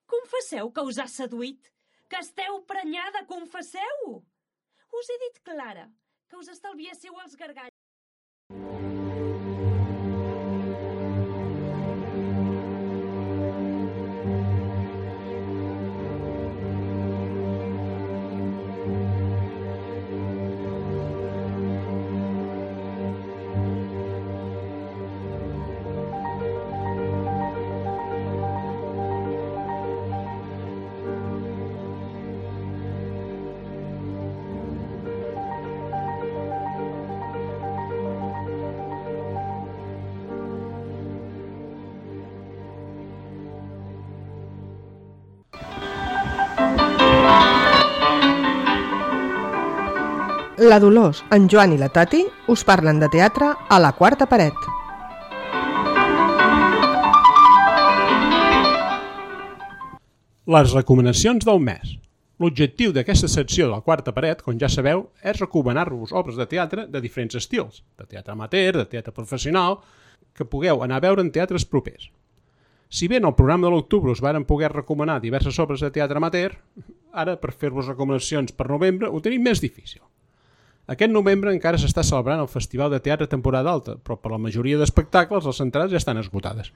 Confesseu que us ha seduït, que esteu prenyada, confesseu! Us he dit, Clara, que us estalviéssiu els gargalls. La Dolors, en Joan i la Tati us parlen de teatre a la quarta paret. Les recomanacions del mes. L'objectiu d'aquesta secció de la quarta paret, com ja sabeu, és recomanar-vos obres de teatre de diferents estils, de teatre amateur, de teatre professional, que pugueu anar a veure en teatres propers. Si bé en el programa de l'octubre us varen poder recomanar diverses obres de teatre amateur, ara per fer-vos recomanacions per novembre ho tenim més difícil. Aquest novembre encara s'està celebrant el Festival de Teatre Temporada Alta, però per la majoria d'espectacles les entrades ja estan esgotades.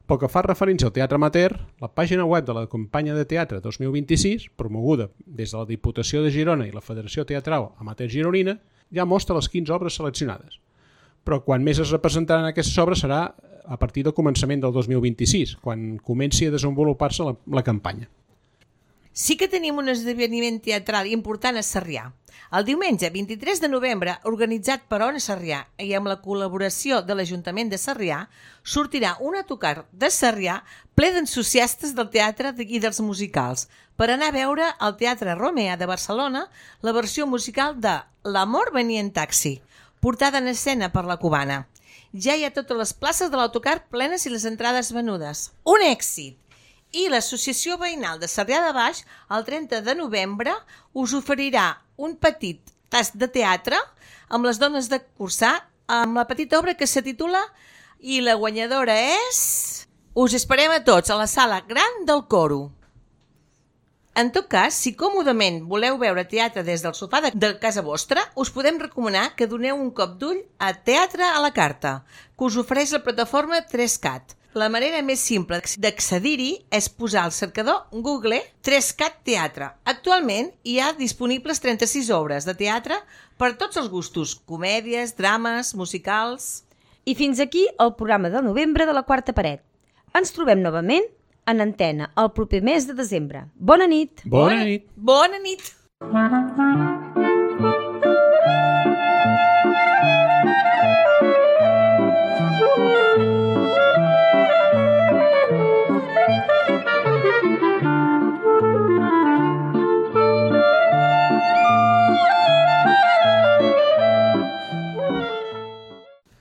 Pel que fa referència al teatre amateur, la pàgina web de la Companya de Teatre dos mil vint-i-sis, promoguda des de la Diputació de Girona i la Federació Teatral Amateur Gironina, ja mostra les quinze obres seleccionades. Però quan més es representaran aquestes obres serà a partir del començament del dos mil vint-i-sis, quan comenci a desenvolupar-se la, la campanya. Sí que tenim un esdeveniment teatral important a Sarrià. El diumenge vint-i-tres de novembre, organitzat per Ona Sarrià i amb la col·laboració de l'Ajuntament de Sarrià, sortirà un autocar de Sarrià ple d'entusiastes del teatre i dels musicals per anar a veure al Teatre Romea de Barcelona la versió musical de L'amor venia en taxi, portada en escena per la cubana. Ja hi ha totes les places de l'autocar plenes i les entrades venudes. Un èxit! I l'Associació Veïnal de Sarrià de Baix, el trenta de novembre, us oferirà un petit tast de teatre amb les dones de Cursà, amb la petita obra que se titula i la guanyadora és... Us esperem a tots a la sala gran del Coro. En tot cas, si còmodament voleu veure teatre des del sofà de, de casa vostra, us podem recomanar que doneu un cop d'ull a Teatre a la Carta, que us ofereix la plataforma tres cat. La manera més simple d'accedir-hi és posar al cercador Google Trescat Teatre. Actualment hi ha disponibles trenta-sis obres de teatre per tots els gustos, comèdies, drames, musicals... I fins aquí el programa de novembre de la Quarta Paret. Ens trobem novament en antena el proper mes de desembre. Bona nit! Bona nit! Bona nit!